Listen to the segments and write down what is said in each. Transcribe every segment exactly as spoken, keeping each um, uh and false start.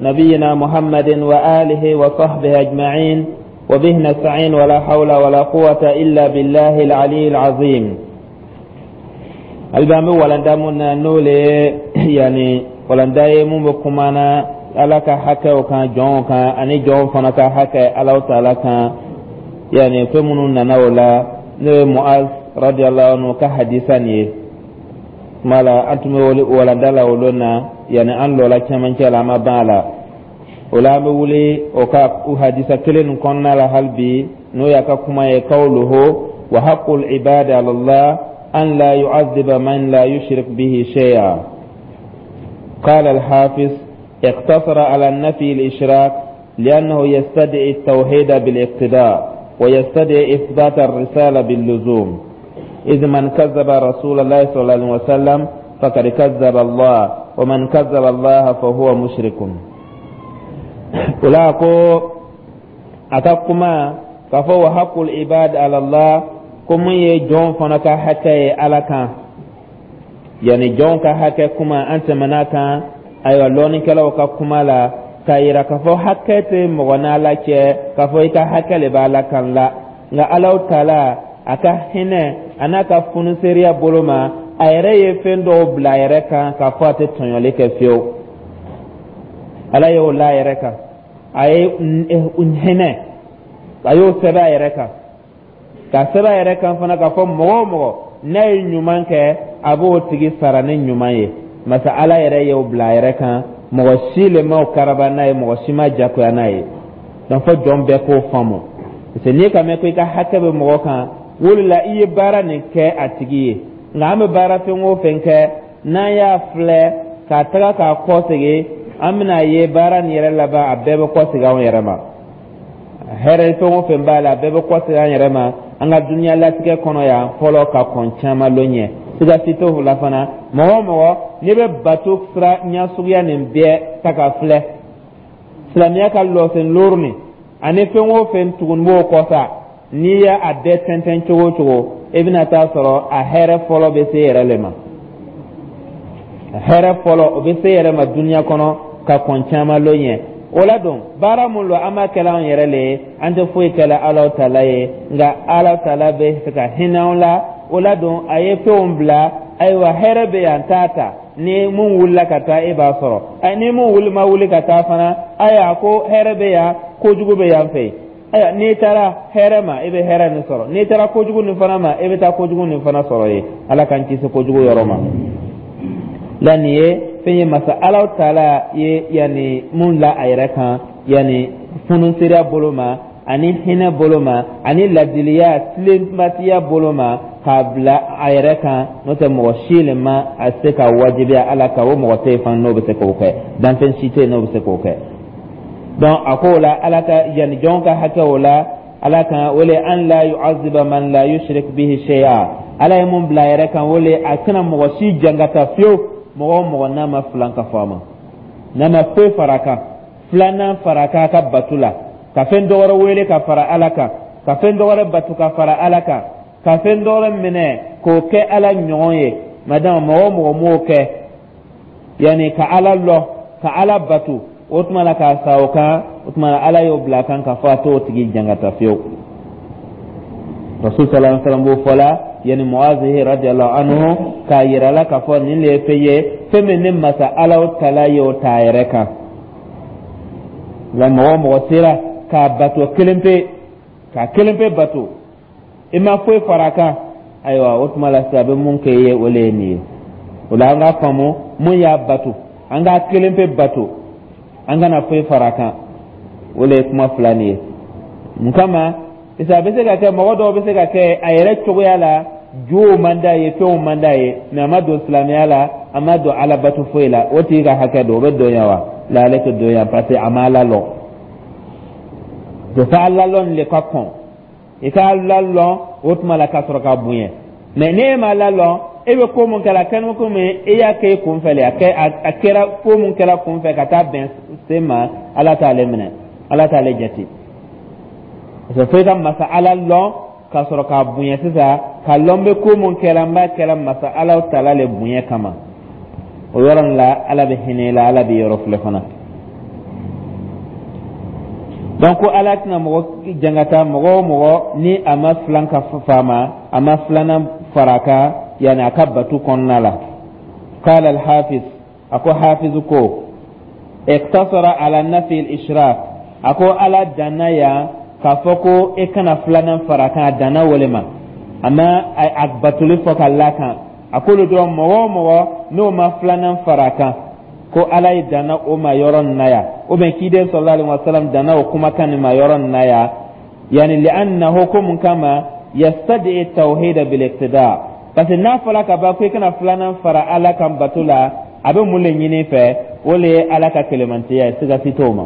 نبينا محمد وآله وصحبه أجمعين وبه نستعين ولا حول ولا قوة إلا بالله العلي العظيم. Alibami walanda mun na, n'o le yani walanda ye mun bɛ kuma na Ala ka hakɛw kan jɔnw kan, ani jɔnw fana ka hakɛ Alahu Taala kan, yani fɛn minnu nana o la, n'o ye Muaz radiyallahu anhu ka hadisa nin ye. Kuma la, an tun bɛ walanda la o lon na, yani an lɔla cɛmancɛ la, an ma ban a la. O la, an bɛ wuli o ka hadisa kelen nin kɔnɔna la hali bi, n'o y'a ka kuma ye: qawluhu wa haqqul ibadi ala Allah an la yu'adhiba man la yushrik bihi shay'a. قال الحافظ: اقتصر على النفي الإشراك لأنه يستدعي التوحيد بالاقتضاء ويستدعي إثبات الرسالة باللزوم، إذ من كذب رسول الله صلى الله عليه وسلم فقد كذب الله، ومن كذب الله فهو مشرك. Wala ko a ka kuma k'a fɔ wa haqqul ibad ala Allah, ko mun ye jɔn fana ka hakɛ ye Ala kan, yani jɔn ka hakɛ kuma, an tɛmɛna kan. Ayiwa, lɔnnikɛlaw ka kuma la k'a yira k'a fɔ hakɛ tɛ mɔgɔ n'Ala cɛ k'a fɔ i ka hakɛ le b'Ala kan la, nka Alahu Taala a ka hinɛ a n'a ka funuseeriya bolo ma, a yɛrɛ ye fɛn dɔw bila a yɛrɛ kan k'a fɔ a tɛ tɔɲɔli kɛ fiyewu. Ala y'o la a yɛrɛ kan, a ye hinɛ, a y'o sɛbɛn a yɛrɛ kan, ka sɛbɛn a yɛrɛ kan fana k'a fɔ mɔgɔ o mɔgɔ n'a ye ɲuman kɛ, a b'o tigi sara ni ɲuman ye. Masa Ala yɛrɛ y'o bila a yɛrɛ kan, mɔgɔ si le ma o karaba n'a ye, mɔgɔ si ma jagoya n'a ye. Donc fo jɔn bɛɛ k'o faamu, parce que n'i ka mɛn ko i ka hakɛ bɛ mɔgɔ kan, o de la i ye baara nin kɛ a tigi ye. Nka an bɛ baara fɛn o fɛn kɛ, n'an y'a filɛ k'a taga k'a kɔ segin, an bɛna ye baara nin yɛrɛ laban, a bɛɛ bɛ kɔ segin anw yɛrɛ ma. Hɛrɛ fɛn o fɛn b'a la, a bɛɛ bɛ kɔ segin an yɛrɛ ma an ka dunuya latigɛ kɔnɔ yan fɔlɔ, ka kɔn caman lon ɲɛ. Siga si t'o la fana, mɔgɔ o mɔgɔ n'i bɛ bato sira ɲɛsuguya nin bɛɛ ta ka filɛ, silamɛya ka lɔsen looru nin ani fɛn o fɛn tugun b'o kɔ sa, n'i y'a a bɛɛ tɛntɛn cogo o cogo, i bɛna taa sɔrɔ a hɛrɛ fɔlɔ bɛ se yɛrɛ le ma. A hɛrɛ fɔlɔ, o bɛ se yɛrɛ ma dunuya kɔnɔ ka kɔn caman lon ɲɛ. O la don, baara mun lo, an b'a kɛla anw yɛrɛ le ye, an tɛ foyi kɛla Alahu Taala ye, nka Alahu Taala bɛ fɛ ka hinɛ anw la. O la don, a ye fɛnw bila. Ayiwa, hɛrɛ bɛ yan, t'a ta ni mun wulila ka taa, e b'a sɔrɔ. Ni mun wuli ma wuli ka taa fana, ayiwa, ko hɛrɛ bɛ yan, kojugu bɛ yan fɛ yen. Ayiwa, n'i taara hɛrɛ ma, i bɛ hɛrɛ nin sɔrɔ. N'i taara kojugu nin fana ma, i bɛ taa kojugu nin fana sɔrɔ yen. Ala k'an kisi kojugu yɔrɔ ma. La nin ye fɛn ye masa Alahu Taala ye yanni mun la a yɛrɛ kan, yanni funusereya bolo ma, ani hinɛ bolo ma, ani ladiliya tilenbatiya bolo ma, k'a bila a yɛrɛ kan. N'o tɛ, mɔgɔ si le ma a se ka wajibiya Ala kan. O mɔgɔ tɛ yen fana n'o bɛ se k'o kɛ, danfɛn si tɛ yen n'o bɛ se k'o kɛ. Donc a ko o la, Ala ka yanni jɔn ka hakɛ o la Ala kan, o le an la yu'azziba man la yushrik bihi shay'a. Ala ye mun bila a yɛrɛ kan, o le a tɛna mɔgɔ si jangata fiyewu, mɔgɔ o mɔgɔ n'a ma filan ka fɔ a ma, n'a ma foyi fara a kan, filanan fara a kan a ka batu la, ka fɛn dɔ wɛrɛ wele ka fara Ala kan, ka fɛn dɔ wɛrɛ batu ka fara Ala kan, ka fɛn dɔ wɛrɛ minɛ k'o kɛ Ala ɲɔgɔn ye. Madama mɔgɔ o mɔgɔ m'o kɛ, yanni ka Ala lɔ ka Ala batu, o tuma la k'a sa o kan, o tuma la Ala y'o bila a kan k'a fɔ a t'o tigi jangata fiyewu. Rasul sallallahu alaihi wasallam b'o fɔ la yanni Muazi radiyallahu anhu k'a yira la k'a fɔ nin de ye fɛn ye, fɛn min ni masa Ala tala y'o ta a yɛrɛ kan. Nka mɔgɔ o mɔgɔ sera k'a bato kelen pe, k'a kelen pe bato, i ma foyi fara a kan, ayiwa, o tuma la sisan a bɛ mun kɛ i ye, o le ye nin ye. O la, an k'a faamu mun y'a bato, an k'a kelen pe bato, an kana foyi fara a kan. O le ye kuma fila nin ye. Mun kama? Parce que a bɛ se ka kɛ mɔgɔ dɔw bɛ se ka kɛ a yɛrɛ cogoya la, jow man d'a ye, fɛnw man d'a ye, mɛ a ma don silamɛya la, a ma don Ala bato foyi la. O tigi ka hakɛ don, o bɛ don yan wa? La, ale tɛ don yan, parce que a ma Ala lɔn. Fo Ala lɔn le ka kɔn, i ka Ala lɔn, o tuma la ka sɔrɔ ka bonya. Mɛ n'e ma Ala lɔn, e bɛ ko mun kɛra kɛnɛ, komi e y'a kɛ i kun fɛ le, a kɛ a kɛra ko mun kɛra kun fɛ ka taa bɛn se ma, Ala t'ale minɛ, Ala t'ale jate. Parce que fo i ka masa Ala lɔn ka sɔrɔ k'a bonya sisan, ka lɔn bɛ ko mun kɛra, n b'a kɛra masa Ala tala le bonya kama. O yɔrɔ nin la, Ala bɛ hinɛ i la, Ala bɛ yɔrɔ filɛ fana. Donc ko Ala tɛna mɔgɔ jangata, mɔgɔ o mɔgɔ ni a ma filankafo a ma, a ma filanan fara a kan, yani a ka batu kɔnɔna la. Qala al-hafiz, a ko hafiz ko iktasara ala nafi al-ishrak, a ko Ala danna yan k'a fɔ ko e kana filanan fara a kan, a danna o le ma, a ma a batoli fɔ ka la kan. A k'olu dɔrɔn, mɔgɔ o mɔgɔ n'o ma filanan fara a kan, ko Ala ye danna o ma yɔrɔ nin na yan, ou bien kiden sallallahu alaihi wasallam danna o kumakan nin ma yɔrɔ nin na yan. Yani li'annahu, ko mun kama, yastadi tawhid bil iqtida, parce que n'a fɔla ka ban ko i kana filanan fara Ala kan bato la, a bɛ mun le ɲini fɛ? O le ye Ala ka kelemantiya ye, siga si t'o ma.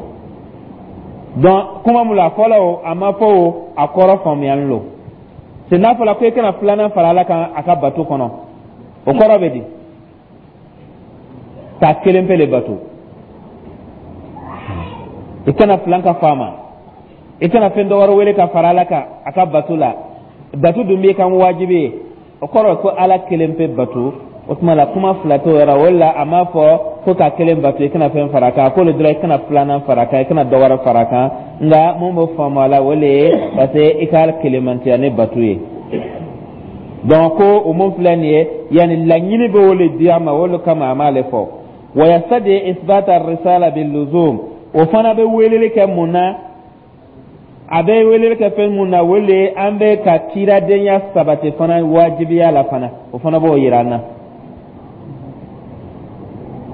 Donc kuma mun la, a fɔla o, a ma fɔ o, a kɔrɔ faamuyali lo. C'est n'a fɔla ko i kana filanan fara Ala kan a ka bato kɔnɔ, o kɔrɔ bɛ di? K'a kelen pe le bato, i kana filan ka fa ma, i kana fɛn dɔ wɛrɛ wele ka fara Ala kan a ka bato la. Bato dun b'i kan wajibi ye, o kɔrɔ ko Ala kelen pe bato. O tuma la, kuma fila t'o yɔrɔ o la. A m'a fɔ ko ka kelen bato, i kana fɛn fara a kan. K'olu dɔrɔn, i kana filanan fara a kan, i kana dɔ wɛrɛ fara a kan. Nka mun bɛ faamu a la, o le ye parce que i ka kelenmantiya ni bato ye. Donc ko o mun filɛ nin ye, yanni laɲini bɛ o le di a ma, o le kama a m'ale fɔ. Wa yastadi isbat ar-risala bil luzum, o fana bɛ weleli kɛ mun na? A bɛ weleli kɛ fɛn mun na? O le an bɛ ka kiradenya sabati fana wajibiya la fana, o fana b'o yira an na.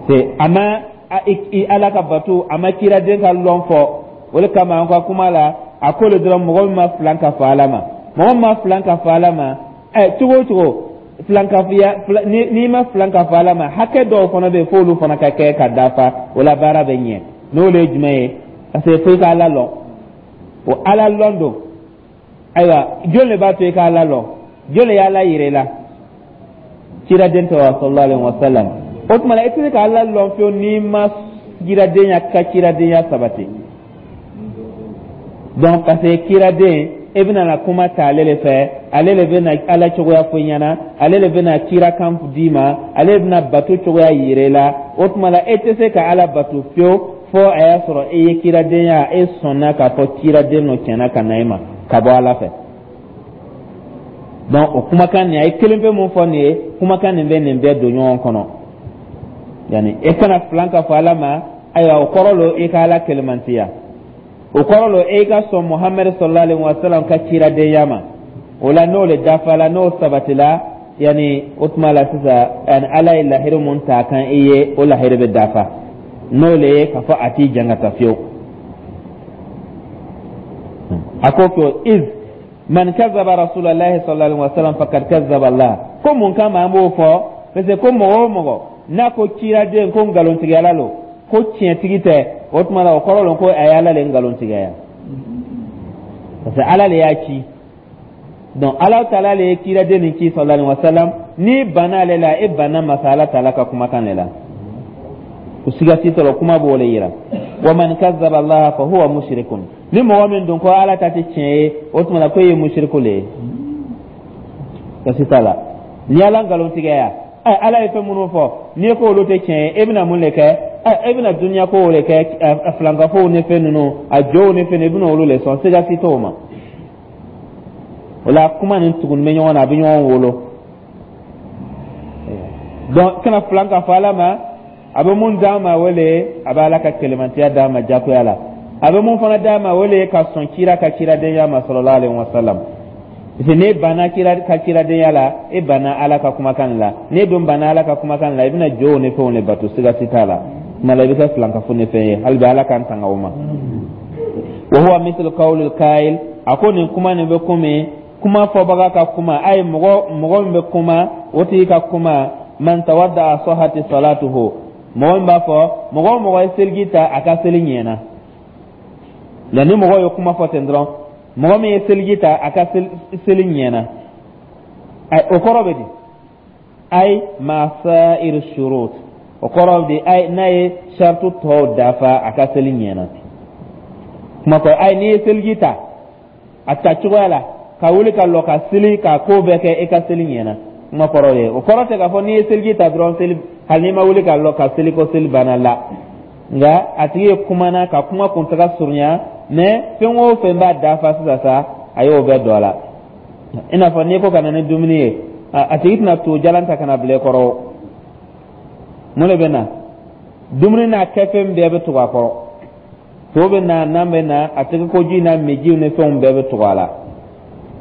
C'est a ma Ala ka bato, a ma kiraden ka lɔn fɔ. O de kama an ka kuma la, a ko le dɔrɔn, mɔgɔ min ma filan ka fɔ Ala ma, mɔgɔ min ma filan ka fɔ Ala ma, ɛ, cogo o cogo, filankafoya, n'i ma filan ka fɔ Ala ma, hakɛ dɔw fana bɛ yen f'olu fana ka kɛ ka dafa, o la baara bɛ ɲɛ. N'o le ye jumɛn ye? Parce que fo i ka Ala lɔn. O Ala lɔn don, ayiwa, jɔn de b'a to i ka Ala lɔn? Jɔn de y'Ala yira i la? Ciraden tɛ wa, sallallahu alaihi wa sallam. O tuma la, i tɛ se ka Ala lɔn fiyewu n'i ma kiradenya ka kiradenya sabati. Donc parce que kiraden, e bɛna na kuma ta ale le fɛ, ale le bɛna Ala cogoya fɔ i ɲɛna, ale le bɛna kirakan d'i ma, ale le bɛna bato cogoya yira i la. O tuma la, e tɛ se ka Ala bato fiyewu fo a y'a sɔrɔ e ye kiradenya, e sɔnna k'a fɔ kiraden nɔ tiɲɛna ka na e ma ka bɔ Ala fɛ. Donc o kumakan nin, a ye kelen pe mun fɔ nin ye, kumakan nin bɛ nin bɛɛ don ɲɔgɔn kɔnɔ. Yani e kana filan ka fɔ Ala ma, ayiwa, o kɔrɔ lo i ka Ala kelemantiya, o kɔrɔ lo e ka sɔn Muhamadu sallallahu alaihi wa sallam ka ciradenya ma. O la, n'o le dafala, n'o sabatila, yani o tuma la sisan, yani Ala ye lahiri mun ta kan i ye, o lahiri bɛ dafa, n'o le ye k'a fɔ a t'i jangata fiyewu. A ko ko iz man kazaba rasulallahi sallallahu alaihi wa sallam faqad kazaba Allah. Ko mun kama an b'o fɔ? Parce que ko mɔgɔ o mɔgɔ n'a ko ciraden ko nkalontigɛla lo, ko tiɲɛtigi tɛ, o tuma la, o kɔrɔ lo ko a ye Ala le nkalontigɛya, parce que Ala le y'a ci. Donc Ala taala le ye kiraden nin ci sallallahu alaihi wa sallam. N'i banna ale la, e banna masa Ala taala ka kumakan de la, o siga si t'a la, kuma b'o le yira. Wa man kazzaba Allah fa huwa mushrikun. Ni mɔgɔ min dun ko Ala ta tɛ tiɲɛ ye, o tuma la ko e ye mushriku le ye, kasi t'a la. Ni Ala nkalontigɛya, ɛ, Ala ye fɛn minnu fɔ, n'i ko olu tɛ tiɲɛ ye, e bɛna mun de kɛ? Ɛ, e bɛna dunuya kow de kɛ, filankafow ni fɛn ninnu, a jow ni fɛn, i bɛna olu le sɔn, siga si t'o ma. O la, kuma nin tuguni bɛ ɲɔgɔn na, a bɛ ɲɔgɔn wolo. Donc kana filan ka fɔ Ala ma. A bɛ mun d'an ma? O le a bɛ Ala ka kɛlɛmantiya d'an ma jagoya la. A bɛ mun fana d'an ma? O le ka sɔn kira ka kiradenya ma sallallahu alaihi wa sallam, parce que n'e banna kira ka kiradenya la, e banna Ala ka kumakan la. N'e dun banna Ala ka kumakan la, i bɛna jow ni fɛnw de bato, siga si t'a la. Kuma la, i bɛ kɛ filankafo ni fɛn ye. Hali bi, Ala k'an tanga o ma. Wa huwa mithlu qawli al-qa'il, a ko nin kuma nin bɛ komi kuma fɔbaga ka kuma, a ye mɔgɔ mɔgɔ min bɛ kuma, o tigi ka kuma: man tawadda sahati salatuhu, mɔgɔ min b'a fɔ mɔgɔ o mɔgɔ ye seliji ta, a ka seli ɲɛna. Nka ni mɔgɔ ye kuma fɔ ten dɔrɔn, mɔgɔ min ye seliji ta, a ka seli ɲɛna, o kɔrɔ bɛ di? Ay ma sa'ir shurut, o kɔrɔ di ay n'a ye shartu tɔw dafa, a ka seli ɲɛna. Kuma kɔ, ay n'i ye seliji ta a ta cogoya la, ka wuli ka lɔ ka seli, ka ko bɛɛ kɛ, e ka seli ɲɛna, kuma kɔrɔ ye. O kɔrɔ tɛ k'a fɔ n'i ye seliji ta dɔrɔn, seli, hali n'i ma wuli ka lɔ ka seli, ko seli banna la. Nka a tigi ye kumana ka kuma kuntaga surunya, mais fɛn o fɛn b'a dafa sisan sa, a y'o bɛɛ don a la. I n'a fɔ n'i ko ka na ni dumuni ye, a tigi tɛna to jalan ta ka na bila i kɔrɔ. Mun de bɛ na? Dumuni n'a kɛfɛn bɛɛ bɛ tugu a kɔrɔ. To bɛ na, nan bɛ na, a tɛgɛ ko ji n'a mijiw ni fɛnw bɛɛ bɛ tugu a la.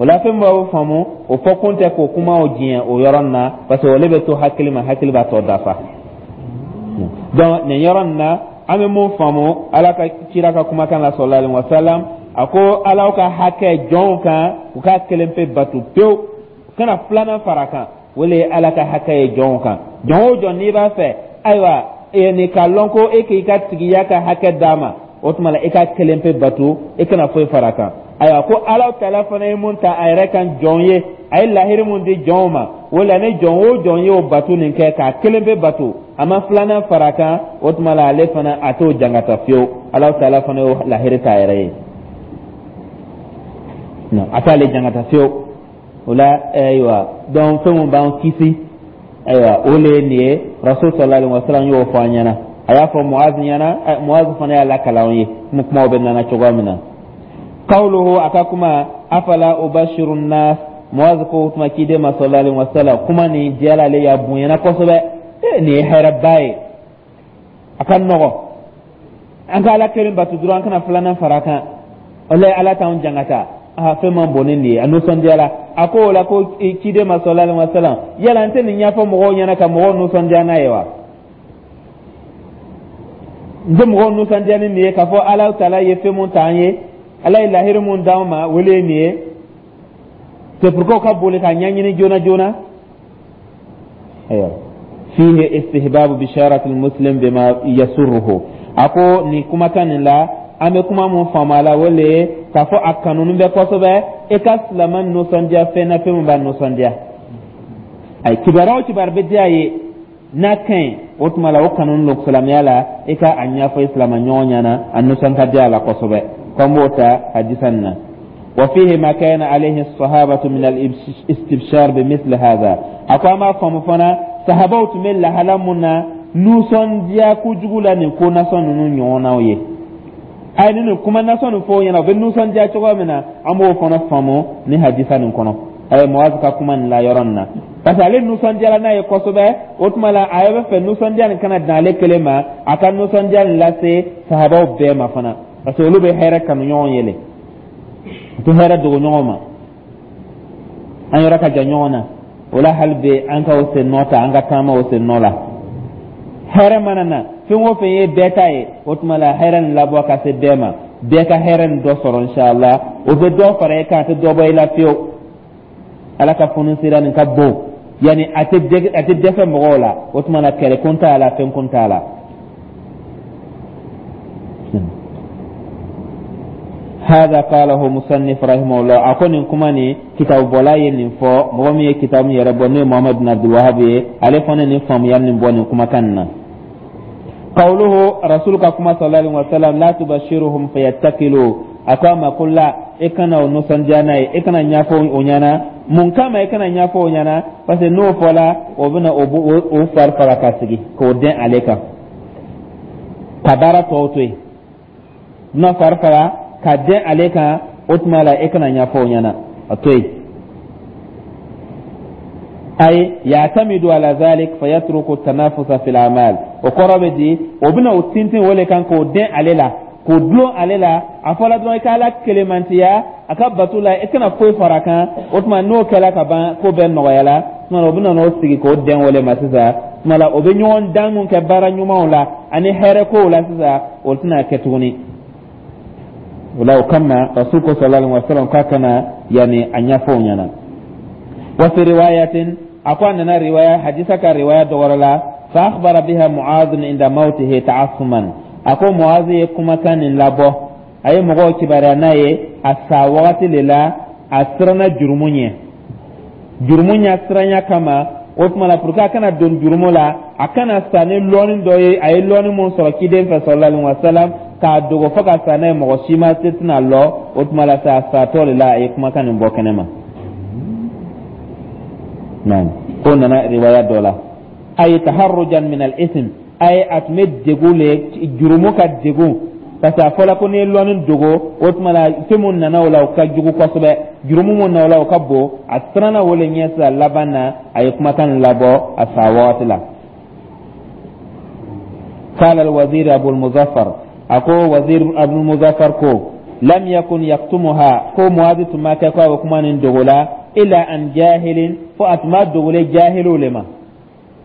O la, fɛn b'aw faamu, o fɔ kun tɛ k'o kumaw diɲɛ o yɔrɔ nin na, parce que ole bɛ to hakili ma, hakili b'a tɔ dafa. Donc nin yɔrɔ nin na, an bɛ mun faamu Ala ka kira ka kumakan la, sallallahu alaihi wa sallam? A ko Ala ka hakɛ jɔnw kan, u k'a kelen pe batu pewu, u kana filanan fara kan. O le ye Ala ka hakɛ ye jɔnw kan. Jɔn o jɔn, n'i b'a fɛ, ayiwa, nin k'a lɔn ko e k'i ka tigiya ka hakɛ d'a ma, o tuma la, i ka kelen pe batu, i kana foyi fara kan. Ayiwa, ko Ala taala fana ye mun ta a yɛrɛ kan jɔn ye, a ye lahiri mun di jɔnw ma, o la, ni jɔn o jɔn y'o batu nin kɛ, k'a kelen pe batu, a ma filanan fara kan, o tuma la, ale fana a t'o jangata fiyewu. Ala taala fana y'o lahiri ta a yɛrɛ ye, a t'ale jangata fiyewu. O la, ayiwa, donc fɛn mun b'an kisi, ayiwa, o le ye nin ye. Rasul sallallahu alaihi wa sallam y'o fɔ an ɲɛna. A y'a fɔ Muaz ɲɛna, Muaz fana y'a lakala an ye komi kumaw bɛ nana cogoya min na. Qawluhu, a ka kuma, afala ubashiru nnas. Muaz ko tuma ciden ma, sallallahu alaihi wa sallam, kuma nin diyara ale ye, a bonyana kosɛbɛ. Nin ye hɛrɛba ye, a ka nɔgɔ an ka Ala kelen batu dɔrɔn, an kana filanan fara kan. Walayi, Ala t'anw jangata. A fɛn man bon ni nin ye. A nisɔndiyara. A ko o la ko ciden ma, sallallahu alaihi wa sallam, yala n tɛ nin ɲɛfɔ mɔgɔw ɲɛna ka mɔgɔw nisɔndiya n'a ye wa? N tɛ mɔgɔw nisɔndiya ni nin ye, k'a fɔ Ala taala ye fɛn mun t'an ye, Ala ye lahiri mun d'anw ma, o le ye nin ye? C'est pourquoi u ka boli k'a ɲɛɲini joona joona. Ayiwa, fihi istihbabu bisharati muslim bima yasurruhu. A ko nin kumakan nin la, an bɛ kuma mun faamu a la, o le ye k'a fɔ a kanuni bɛ kosɛbɛ e ka silama nisɔndiya fɛn na, fɛn min b'a nisɔndiya. Ayi, kibaruya o kibaruya bɛ diya ye n'a ka ɲi, o tuma la, o kanu don silamɛya la, i ka a ɲɛfɔ i silama ɲɔgɔn ɲɛna, a nisɔn ka di a la kosɛbɛ, ko n b'o ta hadisa nin na. وفيه ما كان عليه الصحابة من الاستبشار بمثل هذا. A ko an b'a faamu fana, sahabaw tun bɛ lahala mun na, nisɔndiya kojugu la nin ko nasɔn ninnu ɲɔgɔnnaw ye. A ye nin kuma nasɔn nin fɔ o ɲɛna, u bɛ nisɔndiya cogo min na, an b'o fana faamu ni hadisa nin kɔnɔ. A ye Muaz ka kuma nin la yɔrɔ nin na, parce que ale nisɔndiyara n'a ye kosɛbɛ. O tuma la, a bɛ fɛ nisɔndiya nin kana dan ale kelen ma, a ka nisɔndiya nin lase sahabaw bɛɛ ma fana, parce que olu bɛ hɛrɛ kanu ɲɔgɔn ye le, u tɛ hɛrɛ dogo ɲɔgɔn ma. An yɔrɔ ka jan ɲɔgɔn na, o la, hali bi an ka o sen nɔ ta, an ka taama o sen nɔ la. Hɛrɛ mana na, fɛn o fɛn ye bɛɛ ta ye, o tuma la, hɛrɛ nin labɔ ka se bɛɛ ma, bɛɛ ka hɛrɛ nin dɔ sɔrɔ, inshallah. O bɛ dɔ fara e kan, a tɛ dɔ bɔ i la fiyewu. Ala ka funu sira nin ka bon, yanni a tɛ a tɛ dɛsɛ mɔgɔw la. O tuma na, kɛlɛ kun t'a la, fɛn kun t'a la. هذا قاله مصنف رحمه الله. A ko nin kuma nin, kitabu bɔla ye nin fɔ. Mɔgɔ min ye kitabu yɛrɛ bɔ, n'o ye Muhamadu bin Abdul Wahab ye, ale fana nin faamuya nin bɔ nin kumakan nin na. قوله، رسول ka kuma، صلى الله عليه وسلم، لا تبشرهم فيتكلوا. A ko a ma ko la, e kana o nisɔndiya n'a ye, e kana ɲɛfɔ o ɲɛna. Mun kama e kana ɲɛfɔ o ɲɛna? Parce que n'o fɔla, o bɛna o o fari faga ka sigi k'o dɛn ale kan, ka baara tɔw to yen. N'a fari faga ka dɛn ale kan, o tuma la, e kana ɲɛfɔ o ɲɛna, a to yen. Ay ya'tamidu ala dhalik fayatruku tanafusa fil a'mal. O kɔrɔ bɛ di, o bɛna o tintin o le kan k'o dɛn ale la, k'o dulon ale la. A fɔla dɔrɔn i ka Ala kelemantiya a ka bato la, i kana foyi fara kan. O tuma, n'o kɛla ka ban, ko bɛɛ nɔgɔyala. Tuma o bɛna n'o sigi k'o dɛn o le ma sisan. Tuma la, o bɛ ɲɔgɔn dan mun kɛ baara ɲumanw la ani hɛrɛ kow la sisan, o tɛna kɛ tuguni. O la, o kama, rasul ko, sallallahu alaihi wa sallam, k'a kana yanni a ɲɛfɔ o ɲɛna. Wa fi riwayatin, a ko a nana riwaya hadisa ka riwaya dɔ wɛrɛ la, fa akhbara biha Mu'adh inda mautihi ta'assuman. A ko Mu'adh ye kumakan nin labɔ, a ye mɔgɔw kibaruya n'a ye a sa wagati de la, a siranna jurumu ɲɛ, jurumu ɲɛ siranya kama. O tuma la, pour que a kana don jurumu la, a kana sa ni lɔɔni dɔ ye, a ye lɔɔni mun sɔrɔ ciden fɛ, sallallahu alaihi wa sallam, k'a dogo fo ka sa n'a ye, mɔgɔ si ma se tɛna lɔ. O tuma la sa, a satɔ de la, a ye kumakan nin bɔ kɛnɛ ma. Naam, ko nana riwaya dɔ la, ay taharrujan min al-ithm. A ye a tun bɛ degun le, jurumu ka degun, parce que a fɔla ko n'i ye lɔnni dogo, o tuma la fɛn mun nana o la, o ka jugu kosɛbɛ, jurumu mun na o la, o ka bon. A siranna o le ɲɛ. Sisan laban na, a ye kumakan labɔ a sa wagati la. قال الوزير أبو المظفر, أكو وزير أبو المظفر كو لم يكن يكتمها, كو معاذ تما كو كمان دوغلا إلا عن جاهل, فأتما دوغلي جاهل لما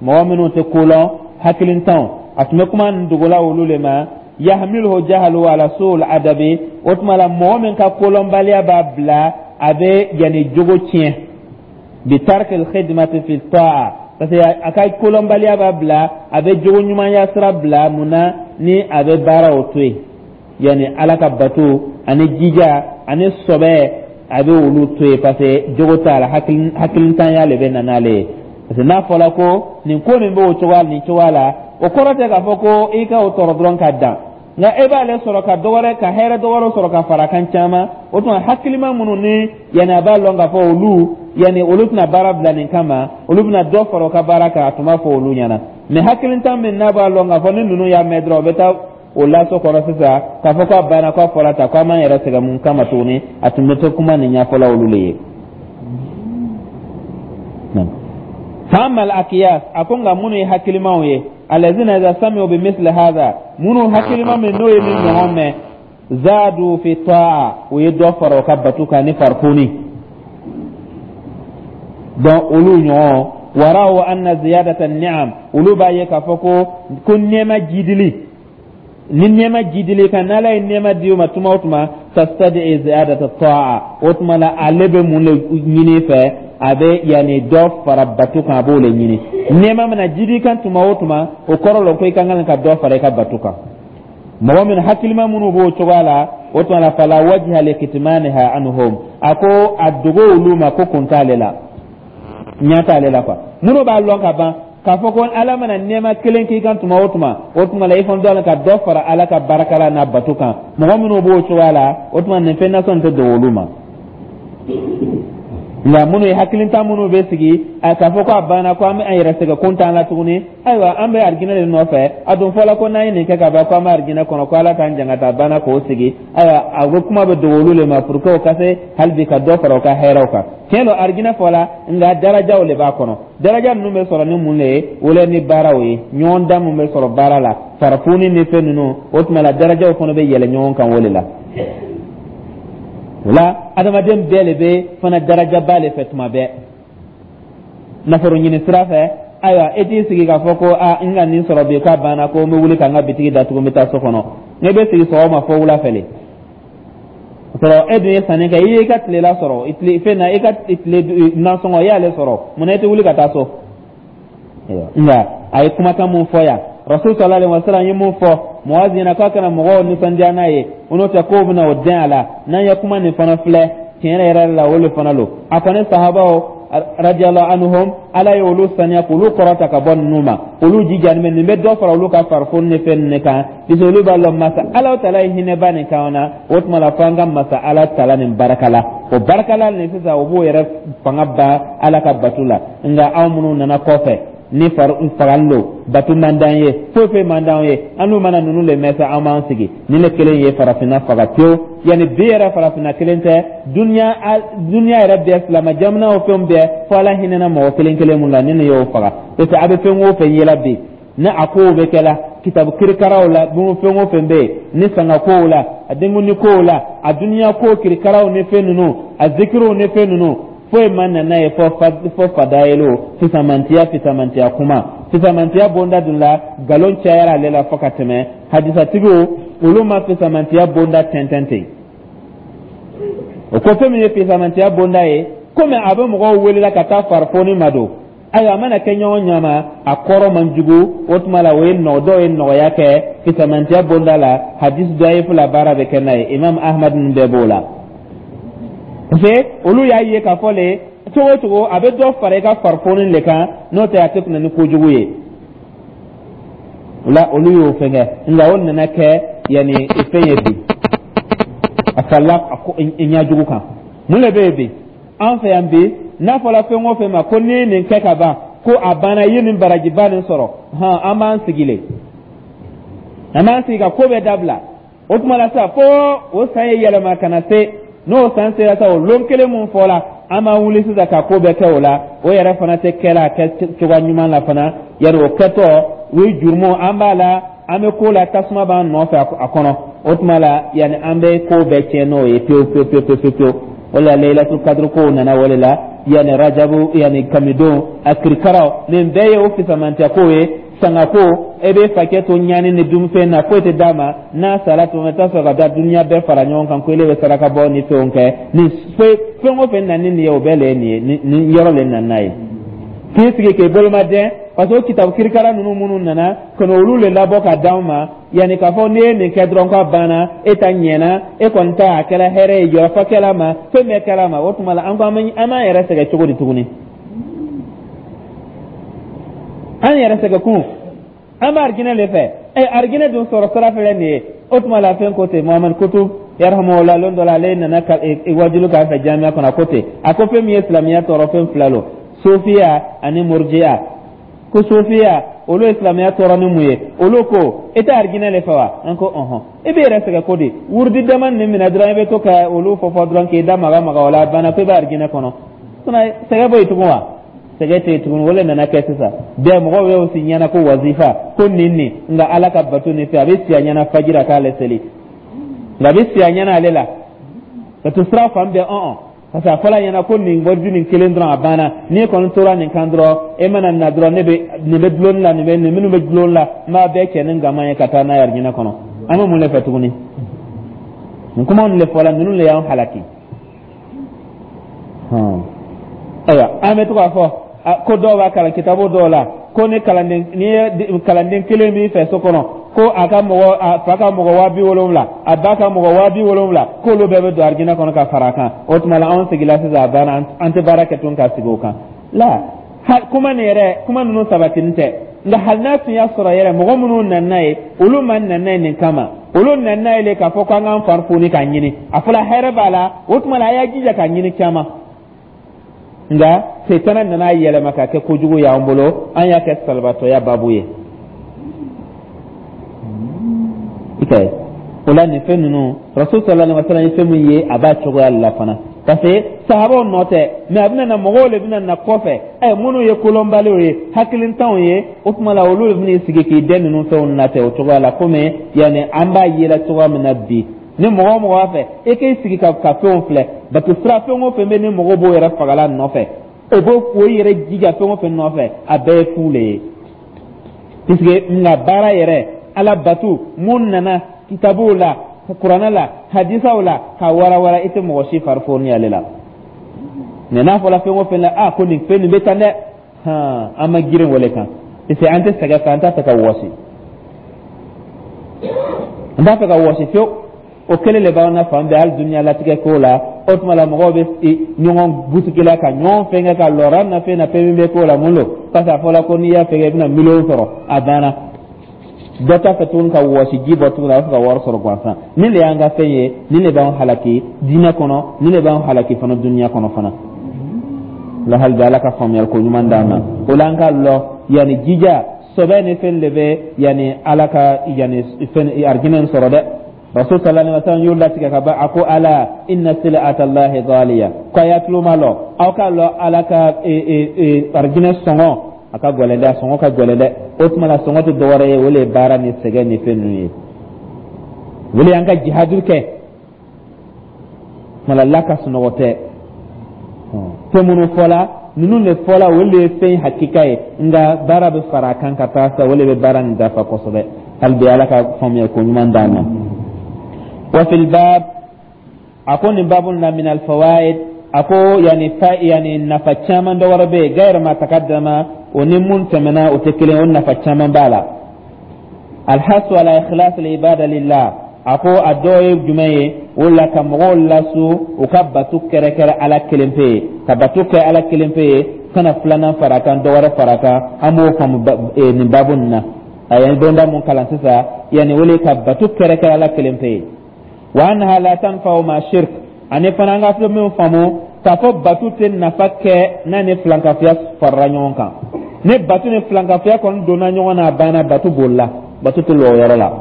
mɔgɔ minnu tɛ ko lɔn, hakilintanw, a tun bɛ kuma nin dogola olu le ma. Yahmiluhu jahalu ala su'ul adabi, o tuma la mɔgɔ min ka kolɔnbaliya b'a bila a bɛ yanni jogo tiɲɛ, bi tarkil khidmati fi ta'a, parce que a ka kolɔnbaliya b'a bila a bɛ jogo ɲumanya sira bila. Mun na ni a bɛ baara o to yen, yanni Ala ka bato ani jija ani sɔbɛ, a bɛ olu to yen, parce que jogo t'a la, hakilintanya le bɛ na n'ale ye. Parce que n'a fɔra ko nin ko nin b'o cogoya nin cogoya la, o kɔrɔ tɛ k'a fɔ ko i ka o tɔɔrɔ dɔrɔn ka dan, nka e b'ale sɔrɔ ka dɔ wɛrɛ, ka hɛrɛ dɔ wɛrɛ sɔrɔ ka fara kan caman. O tuma hakilima minnu ni yanni a b'a lɔn k'a fɔ olu yanni olu tɛna baara bila nin kama, olu bɛna dɔ fara u ka baara kan, a tun b'a fɔ olu ɲɛna. Mɛ hakilintan min n'a b'a lɔn k'a fɔ ni ninnu y'a mɛn dɔrɔn, u bɛ taa o laso kɔrɔ sisan k'a fɔ k'a banna, k'a fɔra tan, k'a m'an yɛrɛ sɛgɛn mun kama tuguni, a tun bɛ to kuma nin ɲɛfɔla olu le ye. Fa akiyas, a ko nka minnu ye hakilimaw ye, alazina iza sami'u bi misli hadha, minnu hakilima min n'o ye min ɲɔgɔn mɛn, zadu fi ta'a, o ye dɔ fara o ka batu kan ni farifoni. Donc olu ɲɔgɔn waraw anna ziyadata ni'am, olu b'a ye k'a fɔ ko ko nɛɛma jidili ni nɛɛma jidili kan, n'Ala ye nɛɛma di o ma tuma o tuma, tastadi ziyadata ta'a, o tuma la ale bɛ mun de ɲini fɛ? A bɛ yanni dɔ fara batu kan, a b'o de ɲini. Nɛɛma mana jidi kan tuma o tuma, o kɔrɔ la ko i ka kan ka dɔ fara i ka batu kan. Mɔgɔ min hakilima minnu b'o cogoya la, o tuma la fala wajha li kitmaniha anhum, a ko a dogo olu ma ko kun t'ale la, ɲɛ t'ale la quoi. Minnu b'a lɔn ka ban k'a fɔ ko Ala mana nɛɛma kelen k'i kan tuma o tuma, o tuma la i fana dɔ la ka dɔ fara Ala ka barika la n'a bato kan, mɔgɔ minnu b'o cogoya la, o tuma nin fɛn nasɔn tɛ dogo olu ma. Nka minnu ye hakilintan minnu bɛ sigi a k'a fɔ ko a banna, ko an bɛ an yɛrɛ sɛgɛn, ko n t'an la tuguni, ayiwa an bɛ arijinɛ de nɔfɛ, a dun fɔla ko n'an ye nin kɛ ka ban ko an bɛ arijinɛ kɔnɔ, ko Ala k'an janga ta banna k'o sigi, ayiwa a bɛ kuma bɛ dogo olu de ma pour que o ka se hali bi ka dɔ fara u ka hɛrɛw kan. Tiɲɛ don, arijinɛ fɔla, nka darajaw de b'a kɔnɔ. Daraja ninnu bɛ sɔrɔ ni mun de ye? O le ni baaraw ye, ɲɔgɔn dan mun bɛ sɔrɔ baara la, farafoni ni fɛn ninnu, o tuma la darajaw fana bɛ yɛlɛ ɲɔgɔn kan o de la. O la adamaden bɛɛ de bɛ fana darajaba de fɛ tuma bɛɛ nafolo ɲini sira fɛ. Ayiwa, e t'i sigi k'a fɔ ko a n ka nin sɔrɔ bi k'a banna, ko n bɛ wuli ka n ka bitigi datugu, n bɛ taa so kɔnɔ. Ne bɛ sigi sɔgɔma fo wula fɛ le sɔrɔ, e dun ye sanni kɛ, i y'i ka tilela sɔrɔ tile fɛn na, i ka tile nasɔngɔ i y'ale sɔrɔ, munna i tɛ wuli ka taa so? Nka a ye kumakan mun fɔ yan, Rasul sallallahu alaihi wasallam ye mun fɔ Muazi ɲɛna k'a kana mɔgɔw nisɔndiya n'a ye, o n'o tɛ kow bɛna o dɛn a la. N'an ye kuma nin fana filɛ, tiɲɛ yɛrɛ la, o de fana lo. A kɔni sahabaw radiyallahu anhum, Ala ye olu saniya k'olu kɔrɔta ka bɔ ninnu ma, olu jijani bɛ nin bɛ dɔ fara olu ka farifoni ni fɛn ninnu kan, puisque olu b'a lɔn masa Ala tala ye hinɛba nin kan na. O tuma la fo an ka masa Ala tala nin barika la, o barika la nin sisan o b'o yɛrɛ fanga ban Ala ka batu la. Nka anw minnu nana kɔfɛ ni fagali lo, batu man d'an ye, foyi foyi man d'an ye, an n'u mana ninnu le mɛn sa, an b'an sigi. Nin le kelen ye farafinna faga pewu. Yanni bi yɛrɛ, farafinna kelen tɛ, duniya duniya yɛrɛ bɛɛ, silamɛ jamanaw fɛn bɛɛ, fo Ala hinɛna mɔgɔ kelen kelen mun la, ni nin y'o faga, parce que a bɛ fɛn o fɛn yela bi, ni a kow bɛ kɛ la kitabu kirikaraw la, fɛn o fɛn bɛ yen ni sanga kow la, a denkundi kow la, a duniya ko kirikaraw ni fɛn ninnu, a zikiriw ni fɛn ninnu, foyi ma nana ye fɔ fɔ fadayelo, fisamantiya, fisamantiya kuma, fisamantiya bonda dun la, nkalon cayara ale la fo ka tɛmɛ. Hadisatigiw olu ma fisamantiya bonda tɛntɛn ten. O ko fɛn min ye fisamantiya bonda ye, komi a bɛ mɔgɔw welela ka taa farifoni ma don, ayiwa a mana kɛ ɲɔgɔn ɲama, a kɔrɔ man jugu, o tuma la o ye nɔ dɔw ye nɔgɔya kɛ fisamantiya bonda la. Hadisi dɔyifu la, baara bɛ kɛ n'a ye, Imam Ahmad ninnu bɛɛ b'o la, parce que olu y'a ye k'a fɔ le cogo o cogo a bɛ dɔ fara i ka farifoni le kan, n'o tɛ a tɛ kunna ni kojugu ye. O la olu y'o fɛn kɛ, nka o nana kɛ yanni fɛn ye bi, a farila ɲɛjugu kan. Mun de bɛ yen bi an fɛ yan bi? N'a fɔra fɛn o fɛn ma ko n'i ye nin kɛ ka ban, ko a banna, i ye nin barajiba nin sɔrɔ, hɔn, an b'an sigi le. An b'an sigi ka ko bɛɛ dabila. O tuma la sa, fo o san ye yɛlɛma ka na se. N'o san sera sa, o lon kelen mun fɔla, an b'an wuli sisan ka ko bɛɛ kɛ o la. O yɛrɛ fana tɛ kɛla a kɛ cogoya ɲuman la fana. Yari o kɛtɔ, o ye jurumu an b'a la, an bɛ ko la, tasuma b'an nɔfɛ a kɔnɔ. O tuma la, yanni an bɛ ko bɛɛ tiɲɛ n'o ye pewu pewu pewu pewu pewu. O la, Laylatul Kadr kow nana o de la. Yanni Rajabu, yanni kamidon a kirikaraw, nin bɛɛ ye o fisamantiya kow ye. Sanga ko e bɛ fakɛ to ɲani ni dunfɛn na, foyi tɛ d'a ma. N'a sara tuma, i t'a sɔrɔ ka taa dunuya bɛɛ fara ɲɔgɔn kan ko ele bɛ saraka bɔ ni fɛnw kɛ. Nin fɛn o fɛn nana ni nin ye, o bɛɛ le ye nin ye, nin yɔrɔ le nana n'a ye k'i sigi k'i boloma dɛn, parce que o kitabu kirikara ninnu minnu nana ka na, olu le labɔ ka d'anw ma, yanni k'a fɔ n'i ye nin kɛ dɔrɔn k'a banna, e ta ɲɛna, e kɔni ta a kɛra hɛrɛ ye, jɔyɔrɔfa kɛla ma, fɛn bɛɛ kɛla ma. O tuma la, an ko an b'an yɛrɛ sɛgɛn cogo di tuguni? An yɛrɛ sɛgɛn kun, an bɛ arijinɛ de fɛ. Ɛ, arijinɛ dun sɔrɔ sira filɛ nin ye. O tuma la, fɛn ko ten, Muhamadu Kutub yarhamahullah, lon dɔ la, ale nana ka wajulu k'a fɛ jamiya kɔnɔ. A ko ten, a ko fɛn min ye silamɛya tɔɔrɔ, fɛn fila lo: sofiya ani murjiya. Ko sofiya, olu ye silamɛya tɔɔrɔ ni mun ye? Olu ko e tɛ arijinɛ de fɛ wa? An ko ɔhɔn. E bɛ yɛrɛ sɛgɛn ko di? Wurudi dama nin minɛ dɔrɔn, i bɛ to ka olu fɔ fɔ dɔrɔn, k'i da maga maga o la, a banna, ko i bɛ arijinɛ kɔnɔ. Sɛgɛn bɔ yen tugun wa? Sɛgɛn tɛ yen tuguni. O le nana kɛ sisan bɛɛ mɔgɔw y'o si ɲɛna ko wazifa, ko nin nin. Nka Ala ka bato nin fɛ, a bɛ siya ɲɛna fajira k'ale seli, nka a bɛ siya ɲɛna ale la ka to sira fan bɛɛ ɔn, parce que a fɔla ɲɛna ko nin wariju nin kelen dɔrɔn, a banna. N'i kɔni tora nin kan dɔrɔn, e mana na dɔrɔn, ne bɛ nin bɛ dulonni la, nin bɛ nin minnu bɛ dulonni la, n b'a bɛɛ cɛ ni gama ye ka taa n'a ye arijinɛ kɔnɔ. An bɛ mun de fɛ tuguni? Nin kumaw de fɔla, ninnu de y'an halaki. Ayiwa, an bɛ to k'a fɔ ko dɔw b'a kalan kitabu dɔw la ko ni kalanden, ni ye kalanden kelen b'i fɛ so kɔnɔ, ko a ka mɔgɔ, a fa ka mɔgɔ waa bi wolonwula, a ba ka mɔgɔ waa bi wolonwula, k'olu bɛɛ bɛ don arijinɛ kɔnɔ ka fara a kan. O tuma la, anw sigila sisan, a banna, an tɛ baara kɛ tun ka sigi o kan la. Kuma nin yɛrɛ, kuma ninnu sabatini tɛ. Nka hali n'a tun y'a sɔrɔ yɛrɛ, mɔgɔ minnu nana n'a ye, olu ma nana n'a ye nin kama. Olu nana n'a ye le k'a fɔ k'an k'an fari foni k'a ɲini. A fɔra hɛrɛ b'a la, o tuma la, a y'a jija k'a ɲini caman. Nka setana nana yɛlɛma ka kɛ kojugu y'an bolo, an y'a kɛ salibatɔya babu ye. I ka ye o la, nin fɛn ninnu, Rasul sallallahu alaihi wa sallam ye fɛn min ye, a b'a cogoya la fana, parce que sahabaw nɔ tɛ, mais a bɛna na, mɔgɔw de bɛna na kɔfɛ, ɛ, minnu ye kolonbaliw ye, hakilintanw ye. O tuma la, olu de bɛna sigi k'i den ninnu fɛnw natɛ o cogoya la. Komi yanni an b'a yela cogoya min na bi, ni mɔgɔ o mɔgɔ b'a fɛ e k'i sigi ka ka fɛnw filɛ, bato sira fɛn o fɛn bɛ, ni mɔgɔw b'o yɛrɛ fagala nɔfɛ, o b'o o yɛrɛ jija fɛn o fɛn nɔfɛ, a bɛɛ ye fu le ye, puisque nka baara yɛrɛ, Ala batu mun nana kitabuw la, Kuranɛ la, hadisaw la, ka warawara, i tɛ mɔgɔ si fari foni ale la. Mɛ n'a fɔra fɛn o fɛn la, a ko nin fɛn nin bɛ tan dɛ, hɔn, an ma girin wale kan, parce que an tɛ sɛgɛn fɛ, an t'a fɛ ka wɔsi, an t'a fɛ ka wɔsi fiyewu. O kelen de b'an na fan bɛɛ, hali dunuya latigɛ ko la. O tuma la, mɔgɔw bɛ ɲɔgɔn busigila ka ɲɔgɔn fɛnkɛ ka lɔra na fɛn na, fɛn min bɛ k'o la, mun don? Parce que a fɔra ko n'i y'a fɛnkɛ, i bɛna miliyɔn sɔrɔ, a banna. Dɔ t'a fɛ tuguni ka wɔsi ji bɔ tuguni, a b'a fɛ ka wari sɔrɔ gansan. Nin de y'an ka fɛn ye, nin de b'an halaki diinɛ kɔnɔ, nin de b'an halaki fana dunuya kɔnɔ fana la. Hali bi, Ala ka faamuyali ko ɲuman d'an ma. O la, an ka lɔ yanni jija sɔbɛ ni fɛn de bɛ yanni Ala ka yanni fɛn arijinɛ sɔrɔ dɛ. Rasul sallallahu alaihi wasallam y'o latigɛ ka ban. A ko: ala inna sil'ata Allahi ghaliya. Ko a y'a tulo ma lɔ, aw ka lɔ Ala ka arijinɛ sɔngɔ, a ka gɛlɛn dɛ, a sɔngɔ ka gɛlɛn dɛ. O tuma la, sɔngɔ tɛ dɔwɛrɛ ye, o le ye baara ni sɛgɛn ni fɛn ninnu ye. O le y'an ka jihadu kɛ. Tuma la, la ka sunɔgɔ tɛ. Fɛn minnu fɔla, ninnu de fɔla, o de ye fɛn hakika ye. Nka baara bɛ fara a kan ka taa sa, o de bɛ baara nin dafa kosɛbɛ. Hali bi, Ala ka faamuya ko ɲuman d'an ma. Wa fil bab, a ko nin babu na, min al fawaid, a ko yani fa, yani nafa caman dɔ wɛrɛ bɛ yen, gayr ma taqaddama, o ni mun tɛmɛna o tɛ kelen, o nafa caman b'a la. Alhasu ala ikhlas al ibada lillah. A ko a dɔ ye jumɛn ye? O la, ka mɔgɔw lasu u ka bato kɛrɛkɛrɛ Ala kelen pe ye, ka bato kɛ Ala kelen pe ye, kana filanan fara kan, dɔ wɛrɛ fara kan. An b'o faamu nin babu nin na. A ye bonda mun kalan sisan, yanni o le ka bato kɛrɛkɛrɛ Ala kelen pe ye. Wa annaha la tanfa'u ma shirk. Ani fana, an ka fɛn min faamu k'a fɔ bato tɛ nafa kɛ n'a ni filankafoya farala ɲɔgɔn kan. Ni bato ni filankafoya kɔni donna ɲɔgɔn na, a banna, bato bolila, bato tɛ lɔ o yɔrɔ la.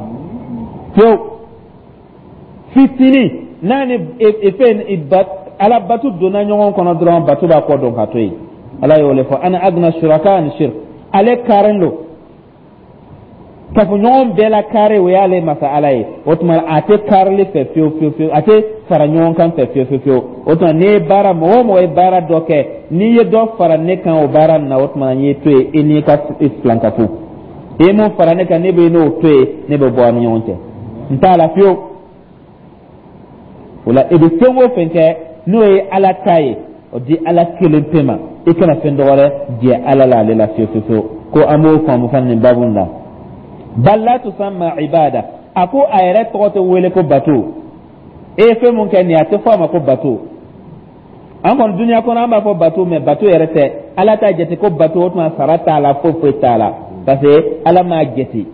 Fiyewu, fitinin n'a ni fɛn ala bato donna ɲɔgɔn kɔnɔ dɔrɔn, bato b'a kɔ dɔn ka to yen. Ala y'o le fɔ: ana agna shuraka ani shirk. Ale karen don kafoɲɔgɔn bɛɛ la kare, o y'ale masa Ala ye. O tuma a tɛ karili fɛ fiyewu fiyewu fiyewu, a tɛ fara ɲɔgɔn kan fɛ fiyewu fiyewu fiyewu. O tuma n'i ye baara, mɔgɔ o mɔgɔ ye baara dɔ kɛ, n'i ye dɔ fara ne kan o baara nin na, o tuma n y'i to yen, i n'i ka filankafo. I ye mun fara ne kan, ne bɛ n'o to yen, ne bɛ bɔ a ni ɲɔgɔn cɛ, n t'a la fiyewu. O la, i bɛ fɛn o fɛn kɛ n'o ye Ala ta ye, o di Ala kelen pe ma. I kana fɛn dɔ wɛrɛ jɛ Ala la, ale la fiyewu fiyewu fiyewu. Ko an b'o faamu fana nin baabu in na. Bal la tusamma ibada, a ko a yɛrɛ tɔgɔ tɛ wele ko bato. E ye fɛn mun kɛ nin ye, a tɛ fɔ a ma ko bato. An kɔni duniya kɔnɔ, an b'a fɔ bato, mɛ bato yɛrɛ tɛ. Ala t'a jate ko bato. O tuma sara t'a la, foyi foyi t'a la, parce que Ala m'a jate.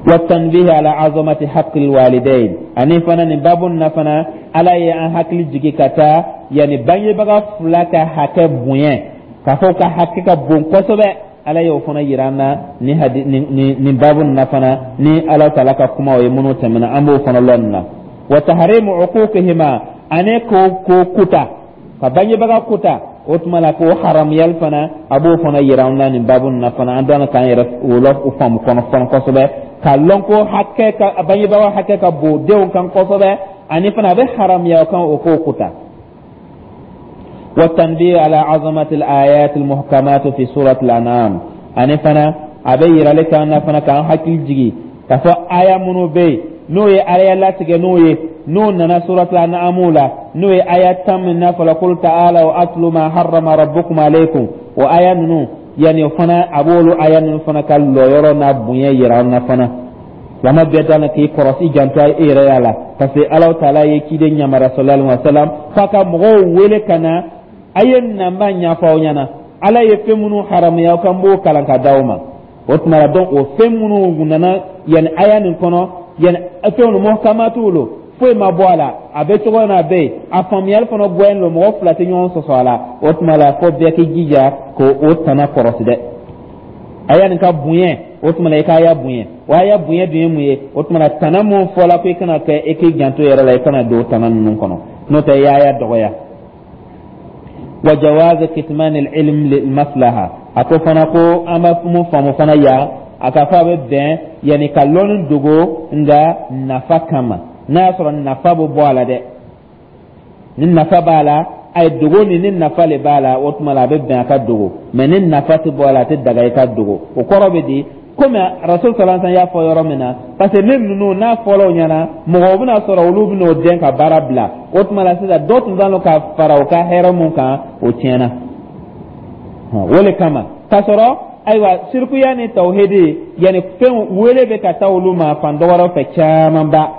Wa tanbihi ala azamati haqqil walidain, ani fana nin babu na fana, Ala ye an hakili jigi ka taa yanni bangebaga fila ka hakɛ bonya, k'a fɔ ka hakɛ ka bon kosɛbɛ. Ala y'o fana yira an na ni hadi ni ni babu na fana, ni Ala taala ka kumaw ye minnu tɛmɛna, an b'o fana lɔn nin na. Wa tahrimu uquqihima, ani ko ko kuta ka bangebaga kuta, o tuma la k'o haramuyali fana, a b'o fana yira an na nin babu na fana. An dɔn k'an yɛrɛ o lɔ o faamu kɔnɔ fana kosɛbɛ, k'a lɔn ko hakɛ ka bangebaga hakɛ ka bon denw kan kosɛbɛ, ani fana a bɛ haramuya o kan o k'o kuta. والتنبيه على عظمة الآيات المحكمات في سورة الأنعام، ani fana a bɛ yirali k'an na fana, k'an hakili jigi k'a fɔ aya minnu bɛ yen n'o ye Ala latigɛ, n'o ye n'o nana suratul An'am la, n'o ye aya tan min n'a fɔla qul ta'alaw atlu ma harrama rabbukum alaykum, o aya ninnu, yanni o fana a b'olu aya ninnu fana ka lɔyɔrɔ n'a bonya yira an na fana. Silamɛ bɛɛ dala k'i kɔrɔsi, janto i yɛrɛ y'a la, parce que Ala taala ye ciden ɲamara sallallahu alaihi wa sallam f'a ka mɔgɔw wele ka na a ye na, n b'a ɲɛfɔ aw ɲɛna, Ala ye fɛn minnu haramuya aw kan, b'o kalan ka d'aw ma. O tuma la donc, o fɛn minnu nana yanni aya nin kɔnɔ, yanni fɛn minnu muhkamatu lo, foyi ma bɔ a la, a bɛ cogo min na a bɛ yen, a faamuyali fana gɔyɛn don, mɔgɔ fila tɛ ɲɔgɔn sɔsɔ a la. O tuma la fo bɛɛ k'i jija k'o tana kɔrɔsi dɛ, aya nin ka bonya. O tuma la i k'a ya bonya, o aya bonya dun ye mun ye? O tuma la tana mun fɔla ko i kana kɛ, i k'i janto yɛrɛ la, i kana don o tana ninnu kɔnɔ, n'o tɛ i y'a ya dɔgɔya. Wa jawaz kitman al-ilm lil maslaha, a ko fana ko an b'a mun faamu fana yan, a ka fɔ a bɛ bɛn yanni ka lɔnni dogo, nka nafa kama, n'a y'a sɔrɔ nafa bɛ bɔ a la dɛ. Ni nafa b'a la, a ye dogo ni ni nafa le b'a la, o tuma la a bɛ bɛn a ka dogo. Mɛ ni nafa tɛ bɔ a la, a tɛ daga i ka dogo. O kɔrɔ bɛ di? Komi Rasul sallallahu alaihi wasallam y'a fɔ yɔrɔ min na, parce que ne ninnu n'a fɔra o ɲɛna, mɔgɔw bɛna sɔrɔ olu bɛna o dɛn ka baara bila. O tuma la sisan, dɔ tun t'a ka fara o ka hɛrɛ mun kan, o tiɲɛna. O le kama k'a sɔrɔ ayiwa sirikuya ni tawhidi, yanni fɛn wele bɛ ka taa olu ma fan dɔ wɛrɛ fɛ camanba,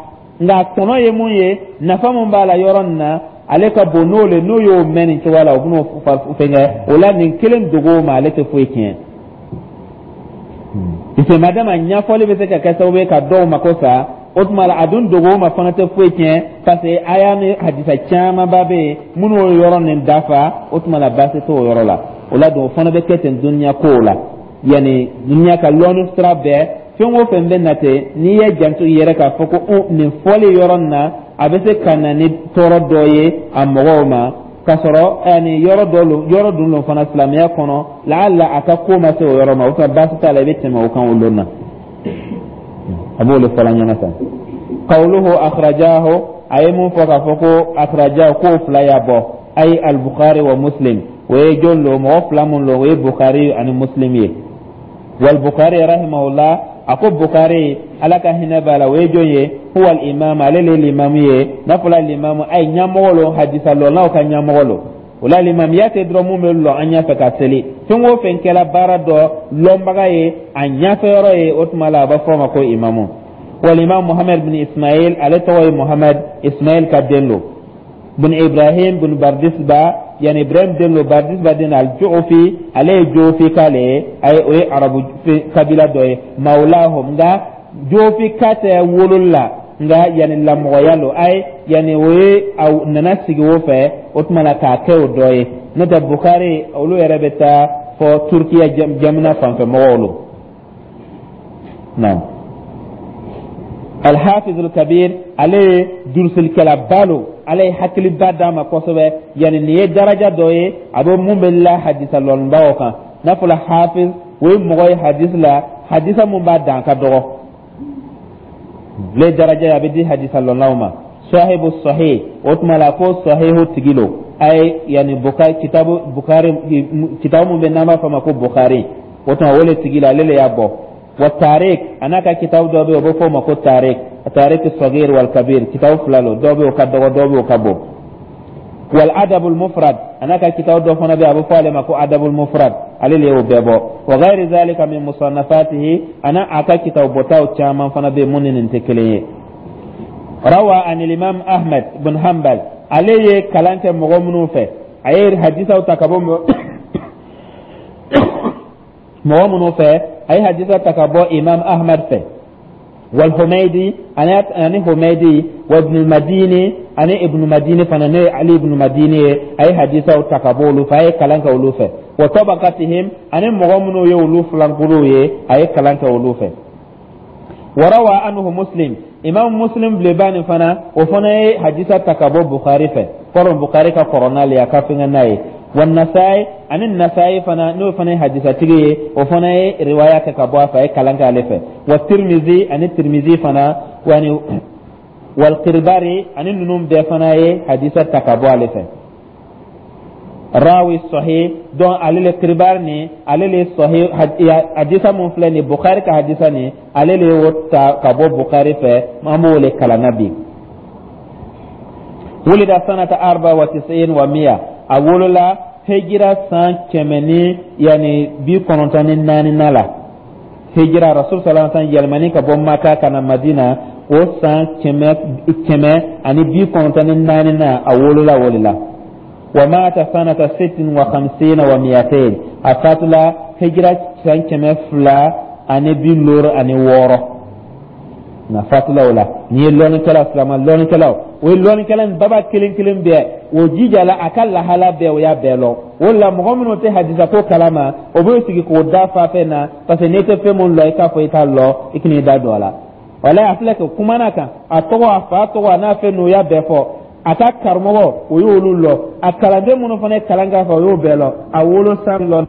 nka tɔnɔ ye mun ye, nafa mun b'a la yɔrɔ nin na, ale ka bon n'o le n'o y'o mɛn nin cogoya la, o bɛn'o fɛnkɛ. O la nin kelen dogo ma, ale tɛ foyi tiɲɛ, parce que madama ɲɛfɔli bɛ se ka kɛ sababu ye ka dɔw mako sa. O tuma la a dun dogo ma fana tɛ foyi tiɲɛ, parce que aya ni hadisa camanba bɛ yen minnu y'o yɔrɔ nin dafa. O tuma la baasi t'o yɔrɔ la. O la don o fana bɛ kɛ ten duniya kow la, yanni duniya ka lɔnni sira bɛɛ, fɛn o fɛn bɛ na ten, n'i ye janto i yɛrɛ k'a fɔ ko nin fɔli yɔrɔ nin na, a bɛ se ka na ni tɔɔrɔ dɔ ye a mɔgɔw ma, k'a sɔrɔ ani yɔrɔ dɔ lo, yɔrɔ dun lo fana silamɛya kɔnɔ, laala a ka ko ma se o yɔrɔ ma, o tuma baasi t'a la, i bɛ tɛmɛ o kan o lon na. A b'o de fɔla ɲɛna sa. Qawluhu akhrajahu, a ye mun fɔ k'a fɔ ko akhrajahu, k'o fila y'a bɔ, ay al-Bukhari wa Muslim. O ye jɔn lo? Mɔgɔ fila mun lo? O ye Bukhari ani Muslim ye. Wal Bukhari rahimahullah, a ko Bukhari, Ala ka hinɛ b'a la, o ye jɔn ye? Huwa al-imam, ale le limamu ye. N'a fɔla limamu, ay ɲɛmɔgɔ lo, hadisa lɔnnaw ka ɲɛmɔgɔ lo. O la limamiya tɛ dɔrɔn mun bɛ lɔ an ɲɛfɛ ka seli. Fɛn o fɛn kɛla baara dɔ lɔnbaga ye, a ɲɛfɛ yɔrɔ ye, o tuma la a bɛ fɔ o ma ko imamu. Wal imam Muhammad bin Ismail, ale tɔgɔ ye Muhammad Ismail ka den lo, bin Ibrahim bin Bardisba, yani Ibrahim den lo, Bardisba den al-Ju'fi, ale ye Ju'fi k'ale ye, ayi o ye arabu kabila dɔ ye, mawlahum, nka Ju'fi ka tɛ wololi la, nka yani lamɔgɔya lo, ayi yani o ye a nana sigi o fɛ, o tuma la k'a kɛ o dɔ ye. N'o tɛ Bukhari olu yɛrɛ bɛ taa fɔ Turukiya jamana fanfɛ mɔgɔw lo. Naam, Alhafiz Alkabir, ale ye durusilikɛlaba lo. Ala ye hakiliba d'a ma kosɛbɛ. Yani nin ye daraja dɔ ye a bɛ mun bɛ la hadisa lɔnnibaw kan. N'a fɔla hafiz, o ye mɔgɔ ye hadisi la, hadisa mun b'a dan ka dɔgɔ le daraja ye a bɛ di hadisa lɔnnaw ma. Sahibu sahih, o tuma la ko sahihu tigi lo. A ye yani Bukari, kitabu Bukari, kitabu mun bɛ n'an b'a fɔ a ma ko Bukari, o tuma o le tigi la, ale le y'a bɔ. Wa Tarik, a n'a ka kitabu dɔ bɛ yen, o bɛ fɔ o ma ko Tarik, Tarik Sagir wal Kabir. Kitabu fila lo, dɔw bɛ yen o ka dɔgɔ, dɔw bɛ yen o ka bon. Wal Adabul Mufrad, a n'a ka kitabu dɔ fana bɛ yen, a bɛ fɔ ale ma ko Adabul Mufrad, ale le y'o bɛɛ bɔ. Wa ghayri zalika min musannafatihi, a n'a a ka kitabu bɔtaw caman fana bɛ yen mun ni nin tɛ kelen ye. Rawa an Imam Ahmad bin Hanbal, ale ye kalan kɛ mɔgɔ minnu fɛ, a ye hadisaw ta ka bɔ mɔgɔ minnu fɛ, a ye hadisa ta ka bɔ Imam Ahmad fɛ, wal Humaydi, ani Humaydi, wa Ibn Madini, ani Ibn Madini fana, n'o ye Ali ibn Madini ye, a ye hadisaw ta ka bɔ olu fɛ, a ye kalan kɛ olu fɛ. Wa tabaqatihim, ani mɔgɔ minnu ye olu filankuruw ye, a ye kalan kɛ olu fɛ. Warawa anhu Muslim, Imam Muslim bilenba nin fana, o fana ye hadisa ta ka bɔ Bukhari fɛ. Kɔrɔ Bukhari ka kɔrɔ n'ale ye, a ka fɛngɛ n'a ye. Wa Nasai, ani Nasai fana, n'o fana ye hadisatigi ye, o fana ye riwaya kɛ ka bɔ a fɛ, a ye kalan kɛ ale fɛ. Wa Tirmizi, ani Tirmizi fana, wani wal Kirbari, ani ninnu bɛɛ fana ye hadisa ta ka bɔ ale fɛ. Rawi sahih, donc ale le Kirbari ni ale le sahih hadisa mun filɛ nin, Bukhari ka hadisa nin, ale le y'o ta ka bɔ Bukhari fɛ, an b'o le kalan na bi. Wulida sanata arba wa tisin wa miya, a wolola hijira san kɛmɛ ni yani bi kɔnɔntɔn ni naani na la. Hijira Rasul sallallahu alaihi wasallam yɛlɛmani ka bɔ Maka ka na Madina, o san kɛmɛ kɛmɛ ani bi kɔnɔntɔn ni naani na, a wolola o de la. Wa mata sanata sittin wa khamsina wa miyatain, a fatula hijira san kɛmɛ fila ani bi looro ani wɔɔrɔ na fatula o la. Nin ye lɔnnikɛla, silama lɔnnikɛlaw, o ye lɔnnikɛla nin baba kelen kelen bɛɛ o jijala a ka lahala bɛɛ, o y'a bɛɛ lɔn. O la mɔgɔ minnu tɛ hadisa ko kalama, o b'o sigi k'o da fa fɛn na, parce que n'i tɛ fɛn mun lɔ, i k'a fɔ i t'a lɔ, i kan'i da don a la. Walayi, a filɛ kɛ kumana kan, a tɔgɔ, a fa tɔgɔ, a n'a fɛn ninnu, o y'a bɛɛ fɔ. A ka karamɔgɔ, o y'olu lɔ. A kalanden minnu fana ye kalan k'a fɛ, o y'o bɛɛ lɔ. A wolo san lɔ.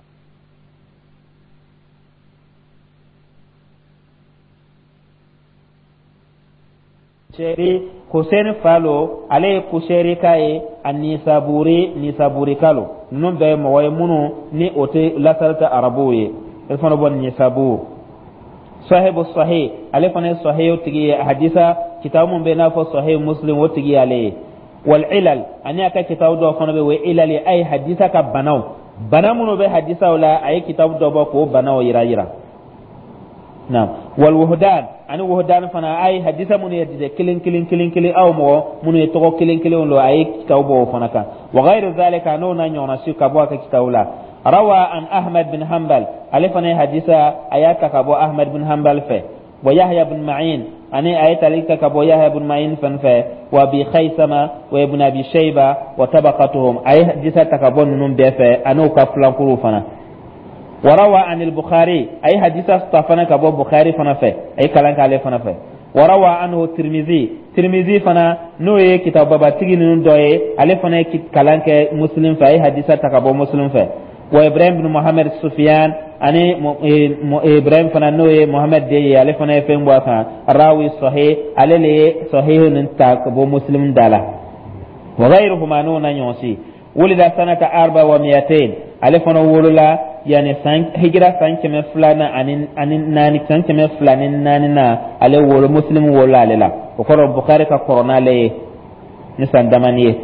Seri Hussein Falo, ale ye Kuseri ka ye, a Nisaburi, Nisaburika lo. Ninnu bɛɛ ye mɔgɔ ye minnu ni o tɛ lasali tɛ arabuw ye, e fana bɔ Nisabur. Sahibu sahih, ale fana ye sahih tigi ye, hadisa kitabu mun bɛ n'a fɔ Sahih Muslim, o tigi y'ale ye. Wal ilal, ani a ka kitabu dɔw fana bɛ yen, o ye ilal ye, a ye hadisa ka banaw, bana minnu bɛ hadisaw la, a ye kitabu dɔ bɔ k'o banaw yira yira. Naam, wal wuhdan, ani wuhdan fana, a ye hadisa minnu ye hadisa kelen kelen kelen kelen, aw mɔgɔ minnu ye tɔgɔ kelen kelenw lo, a ye kitabu bɔ o fana kan. Wa ghayru zalika, n'o n'a ɲɔgɔnna si ka bɔ a ka kitabu la. Rawa an Ahmad bin Hanbal, ale fana ye hadisa a y'a ta ka bɔ Ahmad bin Hanbal fɛ. Wa Yahya bin Ma'in, ani a ye tali kɛ ka bɔ Yahya bin Ma'in fan fɛ. Wa Abi Khaysama, wa Ibn Abi Shayba, wa tabaqatuhum, a ye hadisa ta ka bɔ ninnu bɛɛ fɛ, ani u ka filankuruw fana. وروى عن البخاري، أي حديث استفنا كبو بخاري فنا في أي كلام كالي فنا في. وروى عنه الترمذي، ترمذي فنا نوي كتاب بابا تيجي نون دوي، عليه فنا كلام مسلم في أي حديث تكبو مسلم في. وإبراهيم بن محمد سفيان، أني إبراهيم فنا نوي محمد دي، عليه فنا فهم بوا راوي صحيح، عليه لي صحيح ننتاك بو مسلم دالا. وغيرهما نونا يونسي. ولد سنة أربع ومئتين، ale fana wolola yani san hijira san kɛmɛ fila na ani ani naani, san kɛmɛ fila ni naani na ale wolo, Muslim wolo ale la. O kɔrɔ Bukhari ka kɔrɔ n'ale ye ni san damani ye.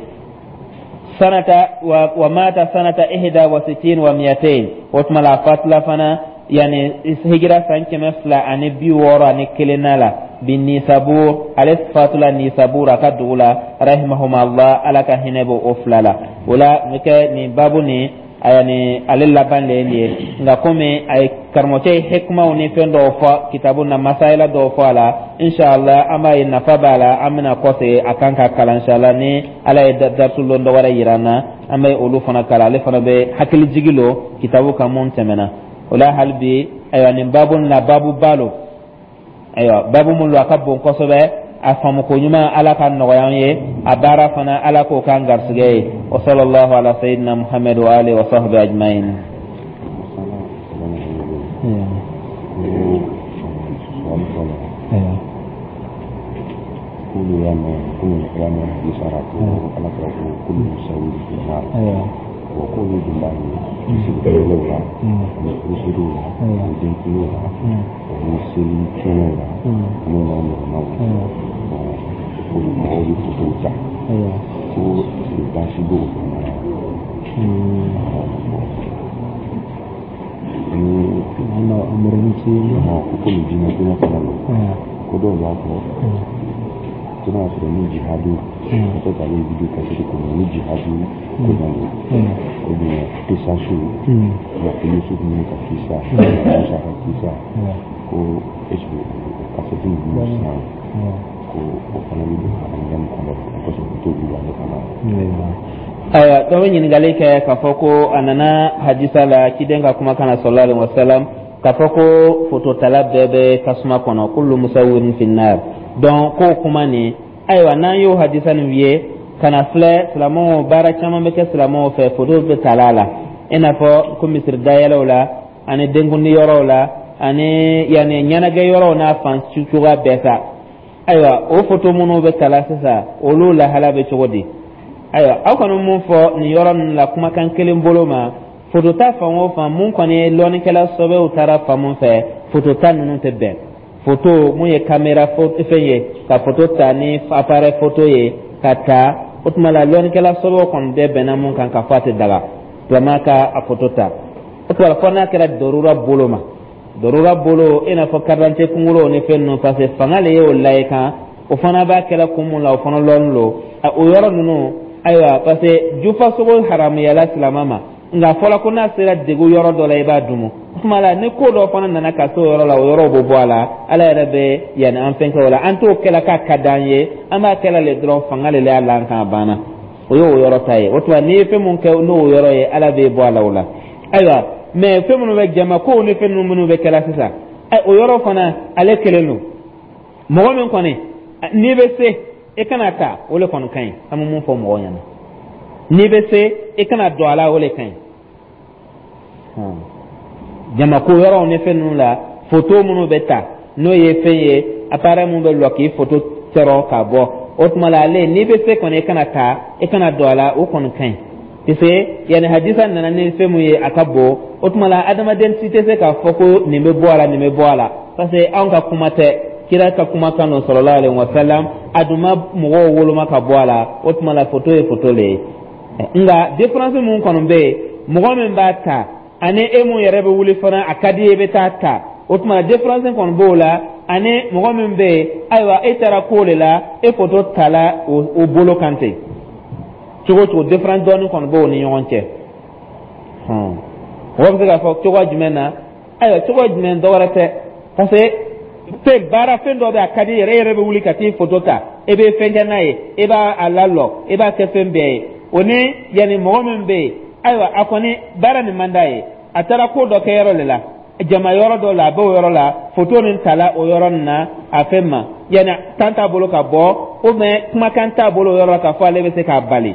Sanata wa, wa mata sanata ihda wa sitin wa miyatain, o tuma la a fatula fana yani hijira san kɛmɛ fila ani bi wɔɔrɔ ani kelen na la bi Nisabur, ale fatula Nisabur, a ka dugu la. Rahimahumullah, Ala ka hinɛ b'o o fila la. O la n bɛ kɛ nin babu nin yani ale laban le ye nin ye. Nka komi a ye karamɔgɔcɛ ye hikumaw ni fɛn dɔw fɔ kitabu na, masayala dɔw fɔ a la, inshallah an b'a ye nafa b'a la, an bɛna kɔsegin a kan ka kalan inshallah. Ni Ala ye darisu lon dɔ wɛrɛ yira an na, an bɛ olu fana kalan. Ale fana bɛ hakili jigi lo kitabu kan mun tɛmɛna o la. Hali bi, ayiwa, nin babu na babu ba lo. Ayiwa, babu mun lo, a ka bon kosɛbɛ. A faamuko ɲuman, Ala ka nɔgɔya an ye. A baara fana, Ala k'o k'an garisɛgɛ ye. Wa sallallahu ala sayyidina Muhammad wa alihi wa sahbihi ajma'in. Masala saba ɲɔgɔn bolo ko suwali fɔlɔ, k'olu y'a mɛn, komi y'a mɛn hadisa ra ko Ala kɛra ko kullu musawwir fi nar. Bon, k'olu dun b'a ye misiri la ani furusiriw la ani denkundiw la ani seli kɛnɛw la ani n'a ɲɔgɔnnaw. Bon, olu mɔgɔw bɛ fotow ta ko est-ce que baasi b'o fana na? Bon, ni ko komi diinɛ koɲɛ fana don, ko dɔw b'a fɔ ko n'a sɔrɔ ni jihadu, peut-être ale ye vidéo cassette kɔnɔ, ni jihadu ko ɲɛ don ou bien kisasu, i n'a fɔ Yusuf ninnu ka kisa, Musa ka kisa, ko est ce que o cassette ninnu san, ko o fana bɛ don hadamadenya nin kɔnɔ kosɛbɛ, o t'olu ale fana? Ayiwa, dɔ bɛ ɲininkali kɛ k'a fɔ ko a nana hadisa la, ciden ka kumakan na, sallallahu alaihi wasallam, k'a fɔ ko fototala bɛɛ bɛ tasuma kɔnɔ, kullu musawwirin fi nar. Donc k'o kuma nin, ayiwa, n'an y'o hadisa nin ye ka na filɛ, silamɛw, baara caman bɛ kɛ silamɛw fɛ, foto bɛ tala la, i n'a fɔ ko misiri dayɛlɛw la ani denkundi yɔrɔw la ani yanni ɲɛnajɛ yɔrɔw n'a fan cogoya bɛɛ sa. Ayiwa, o foto minnu bɛ tala sisan, olu lahala bɛ cogo di? Ayiwa, aw kɔni mun fɔ nin yɔrɔ ninnu la, kumakan kelen bolo ma, fotota fan o fan, mun kɔni ye lɔnnikɛla sɔbɛw taara fan mun fɛ, fotota ninnu tɛ bɛn. Foto mun ye caméra fɛn ye, ka foto ta ni appareil photo ye ka ta, o tuma la lɔnnikɛla sɔbɛw kɔni bɛɛ bɛnna mun kan, ka fɔ a tɛ daga silamɛ ka a foto ta. O tuma la, fɔ n'a kɛra darura bolo ma, darura bolo, i n'a fɔ carte d'identité kunkolo ni fɛn ninnu, parce que fanga le y'o layi kan, o fana b'a kɛla kun mun la, o fana lɔnni lo o yɔrɔ ninnu. Ayiwa, parce que jufasogo haramuyala silamɛ ma, nka fɔla ko n'a sera degun yɔrɔ dɔ la, i b'a dumu. O tuma la, ni ko dɔ fana nana ka se o yɔrɔ la, o yɔrɔ bɛ bɔ a la. Ala yɛrɛ bɛ yanni an fɛn kɛ o la, an t'o kɛla k'a ka d'an ye, an b'a kɛla le dɔrɔn, fanga le y'a la an kan, a banna. O y'o yɔrɔ ta ye. O tuma, n'i ye fɛn mun kɛ n'o yɔrɔ ye, Ala b'e bɔ a la o la. Ayiwa, mɛ fɛn minnu bɛ jama kow ni fɛn ninnu minnu bɛ kɛla sisan, o yɔrɔ fana, ale kelen don. Mɔgɔ min kɔni n'i bɛ se, i kana ta, o le kɔni ka ɲi. An bɛ mun fɔ mɔgɔw ɲɛna? N'i bɛ se, i kana don a la, o le ka ɲi. Jamako yɔrɔw ni fɛn ninnu la, foto minnu bɛ ta, n'o ye fɛn ye, appareil mun bɛ lɔ k'i foto sɔrɔ ka bɔ, o tuma la, ale n'i bɛ se kɔni, i kana ta, i kana don a la, o kɔni ka ɲi, parce yanni hadisa nana ni fɛn mun ye, a ka bon. O tuma la, adamaden si tɛ se k'a fɔ ko nin bɛ bɔ a la, nin bɛ bɔ a la, parce que anw ka kuma tɛ, kira ka kuma kan don, sallallahu alaihi wa sallam. A dun ma mɔgɔw woloma ka bɔ a la. O tuma la, foto ye foto le ye, nka différence mun kɔni bɛ yen, mɔgɔ min b'a ta ani e mun yɛrɛ bɛ wuli fana, a ka di ye, i bɛ taa ta, o tuma la différence kɔni b'o la, ani mɔgɔ min bɛ yen, ayiwa, e taara ko de la, e foto tala o bolo kan ten. Cogo cogo, différence dɔɔni kɔni b'o ni ɲɔgɔn cɛ. Mɔgɔ bɛ se k'a fɔ cogoya jumɛn na? Ayiwa, cogoya jumɛn, dɔ wɛrɛ tɛ, parce que fɛn baara fɛn dɔ bɛ, a ka di yɛrɛ, e yɛrɛ bɛ wuli ka t'i foto ta, e bɛ fɛn kɛ n'a ye, e b'a a lalɔ, e b'a kɛ fɛn bɛɛ ye. O ni yanni mɔgɔ min bɛ yen, ayiwa, a kɔni baara nin man d'a ye, a taara ko dɔ kɛ yɔrɔ de la, jama yɔrɔ dɔ la, a b'o yɔrɔ la, foto nin tala o yɔrɔ nin na, a fɛn ma yanni tan t'a bolo ka bɔ, ou bien kumakan t'a bolo o yɔrɔ la k'a fɔ ale bɛ se k'a bali,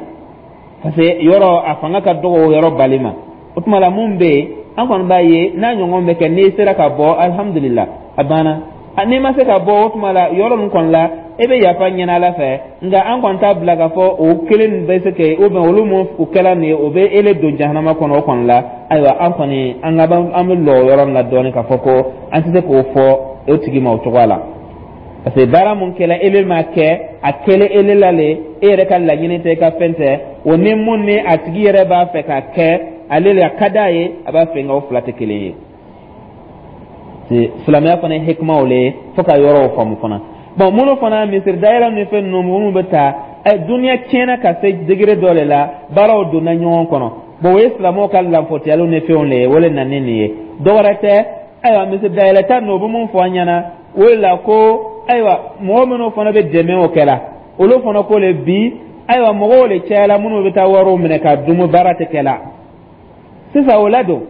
parce que yɔrɔ a fanga ka dɔgɔ o yɔrɔ bali ma. O tuma la, mun bɛ yen, an kɔni b'a ye n'a ɲɔgɔn bɛ kɛ, n'i sera ka bɔ, alihamudulila, a banna. N'i ma se ka bɔ, o tuma la, yɔrɔ min kɔni la, e bɛ yafa ɲini Ala fɛ. Nka an kɔni t'a bila k'a fɔ o kelen bɛ se kɛ, ou bien olu mun o kɛla nin ye, o bɛ ele don jahanama kɔnɔ o kɔni la. Ayiwa, an kɔni an ka an bɛ lɔ o yɔrɔ nin la dɔɔnin, k'a fɔ ko an tɛ se k'o fɔ o tigi ma o cogoya la, parce que baara mun kɛla, ele m'a kɛ, a kɛlen ele la le, e yɛrɛ ka laɲini tɛ, i ka fɛn tɛ o, ni mun ni a tigi yɛrɛ b'a fɛ ka kɛ, ale le a ka d'a ye, a b'a fɛ, nka o fila tɛ kelen ye. Silamɛya fana ye hikimaw le ye, fo ka yɔrɔw faamu fana. Bon, minnu fana misiri dayɛlɛ ni fɛn ninnu minnu bɛ taa, ɛ duniya tiɲɛna ka se degré dɔ de la, baaraw donna ɲɔgɔn kɔnɔ. Bon, o ye silamɛw ka lanfɔtiyaliw ni fɛnw le ye, o le nana ni nin ye, dɔwɛrɛ tɛ. Ayiwa, misiri dayɛlɛ ta ninnu, o bɛ mun fɔ an ɲɛna o de la, ko ayiwa, mɔgɔ minnu fana bɛ dɛmɛ o kɛ la, olu fana ko le bi, ayiwa, mɔgɔw le cayala minnu bɛ taa wariw minɛ ka dumu, baara tɛ kɛ la sisan o la don.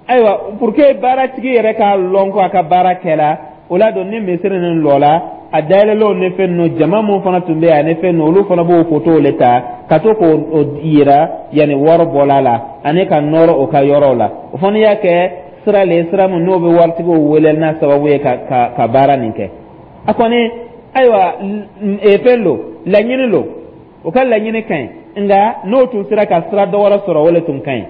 Ayiwa, pour que baaratigi yɛrɛ k'a lɔn ko a ka baara kɛla. O la don ni misiri nin lɔla, a dayɛlɛlaw ni fɛn ninnu, jama mun fana tun bɛ yen ani fɛn ninnu, olu fana b'o fotow le ta ka to k'o yira, yanni wari bɔla la ani ka nɔrɔ o ka yɔrɔw la. O fana y'a kɛ sira le ye, sira min n'o bɛ waritigiw wele n'a sababu ye ka ka ka baara nin kɛ. A kɔni, ayiwa, fɛn lo, laɲini lo, o ka laɲini ka ɲi, nka n'o tun sera ka sira dɔ wɛrɛ sɔrɔ, o le tun ka ɲi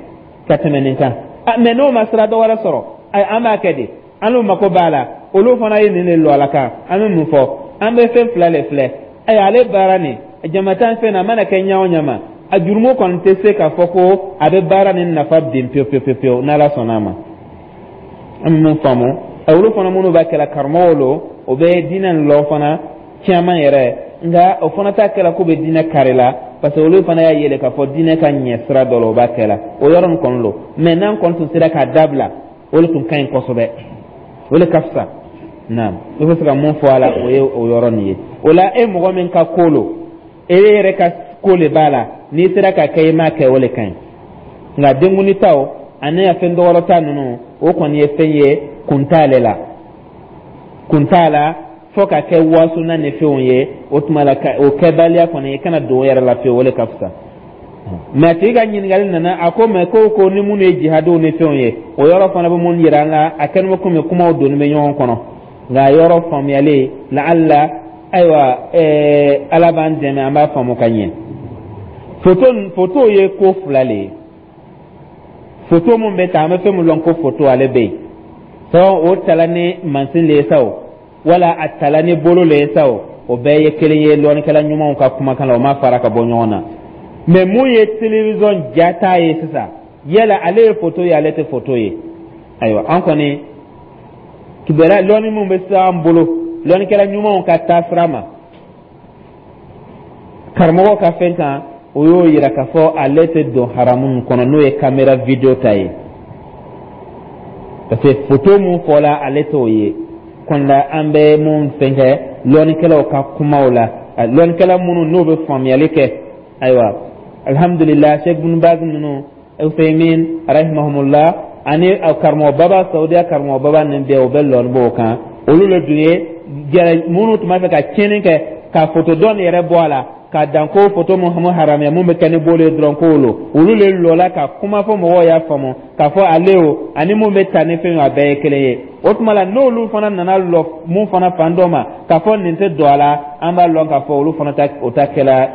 ka tɛmɛ nin kan. Mɛ n'o ma sira dɔ wɛrɛ sɔrɔ, an b'a kɛ di? An n'u mako b'a la, olu fana ye nin de lɔ a la kan. An bɛ mun fɔ? An bɛ fɛn fila le filɛ. Ayiwa, ale baara nin jamatan fɛn na, a mana kɛ ɲɛ o ɲɛ ma, a jurumu kɔni tɛ se k'a fɔ ko a bɛ baara nin nafa bin pewu pewu pewu, n'Ala sɔnna a ma. An bɛ mun faamu? Olu fana minnu b'a kɛla, karamɔgɔw lo, o bɛ diinɛ nin lɔ fana caman yɛrɛ, nka o fana t'a kɛla k'u bɛ diinɛ kari la, parce que olu fana y'a yɛlɛ k'a fɔ diinɛ ka ɲɛ sira dɔ la, o b'a kɛla o yɔrɔ nin kɔni lo. Mɛ n'an kɔni tun sera k'a dabila, o de tun ka ɲi kosɛbɛ, o de ka fisa. Naam, i bɛ se ka mun fɔ a la, o ye o yɔrɔ nin ye. O la, e mɔgɔ min ka ko lo, e yɛrɛ ka ko le b'a la, n'i sera ka kɛ, i m'a kɛ, o de ka ɲi. Nka denkundi taw ani a fɛn dɔwɛrɛ ta ninnu, o kɔni ye fɛn ye, kun t'ale la, kun t'a la fo ka kɛ wasuna ni fɛnw ye. O tuma la, o kɛbaliya kɔni, i kana don o yɛrɛ la fiyewu, o de ka fisa. Mɛ a tigi ka ɲininkali nana, a ko mɛ ko ko ni minnu ye jihadiw ni fɛnw ye, o yɔrɔ fana bɛ mun yira an la? A kɛlen bɛ komi kumaw donni bɛ ɲɔgɔn kɔnɔ, nka a yɔrɔ faamuyalen laala. Ayiwa, ɛɛ Ala b'an dɛmɛ, an b'a faamu ka ɲɛ. Foto, foto ye ko fila le ye. Foto mun bɛ ta, an bɛ fɛn min lɔn ko foto, ale bɛ yen sɔn, o tala ni mansin le ye sa o, wala a tala ni bolo le ye sa o, o bɛɛ ye kelen ye lɔnnikɛla ɲumanw ka kumakan la, o ma fara ka bɔ ɲɔgɔn na. Mɛ mun ye télévision jata ye sisan, yala ale ye foto ye, ale tɛ foto ye? Ayiwa, an kɔni kibaruya lɔnni min bɛ se an bolo lɔnnikɛla ɲumanw ka taa sira ma, karamɔgɔ ka fɛn kan, o y'o yira k'a fɔ ale tɛ don haramu kɔnɔ, n'o ye caméra vidéo ta ye, parce que foto mun fɔla, ale t'o ye kɔnda. An bɛ mun fɛn kɛ lɔnnikɛlaw ka kumaw la, lɔnnikɛla minnu n'o bɛ faamuyali kɛ, ayiwa, alhamdulillah, Sheikh Bin Baz ninnu, Usaymin rahimahumullah, ani karamɔgɔ baba Saudiya, karamɔgɔ baba nin bɛɛ, o bɛ lɔnni b'o kan. Olu le dun ye jɛrɛ minnu tun b'a fɛ ka tiɲɛni kɛ ka foto dɔn yɛrɛ bɔ a la, ka dan ko foto mun haramuya, mun bɛ kɛ ni bolo ye dɔrɔn, k'o lo. Olu le lɔla ka kuma fɔ mɔgɔw y'a faamu k'a fɔ ale o ani mun bɛ ta ni fɛn ye, a bɛɛ ye kelen ye. O tuma la, n'olu fana nana lɔ mun fana fan dɔ ma k'a fɔ nin tɛ don a la, an b'a lɔn k'a fɔ olu fana ta, o ta kɛla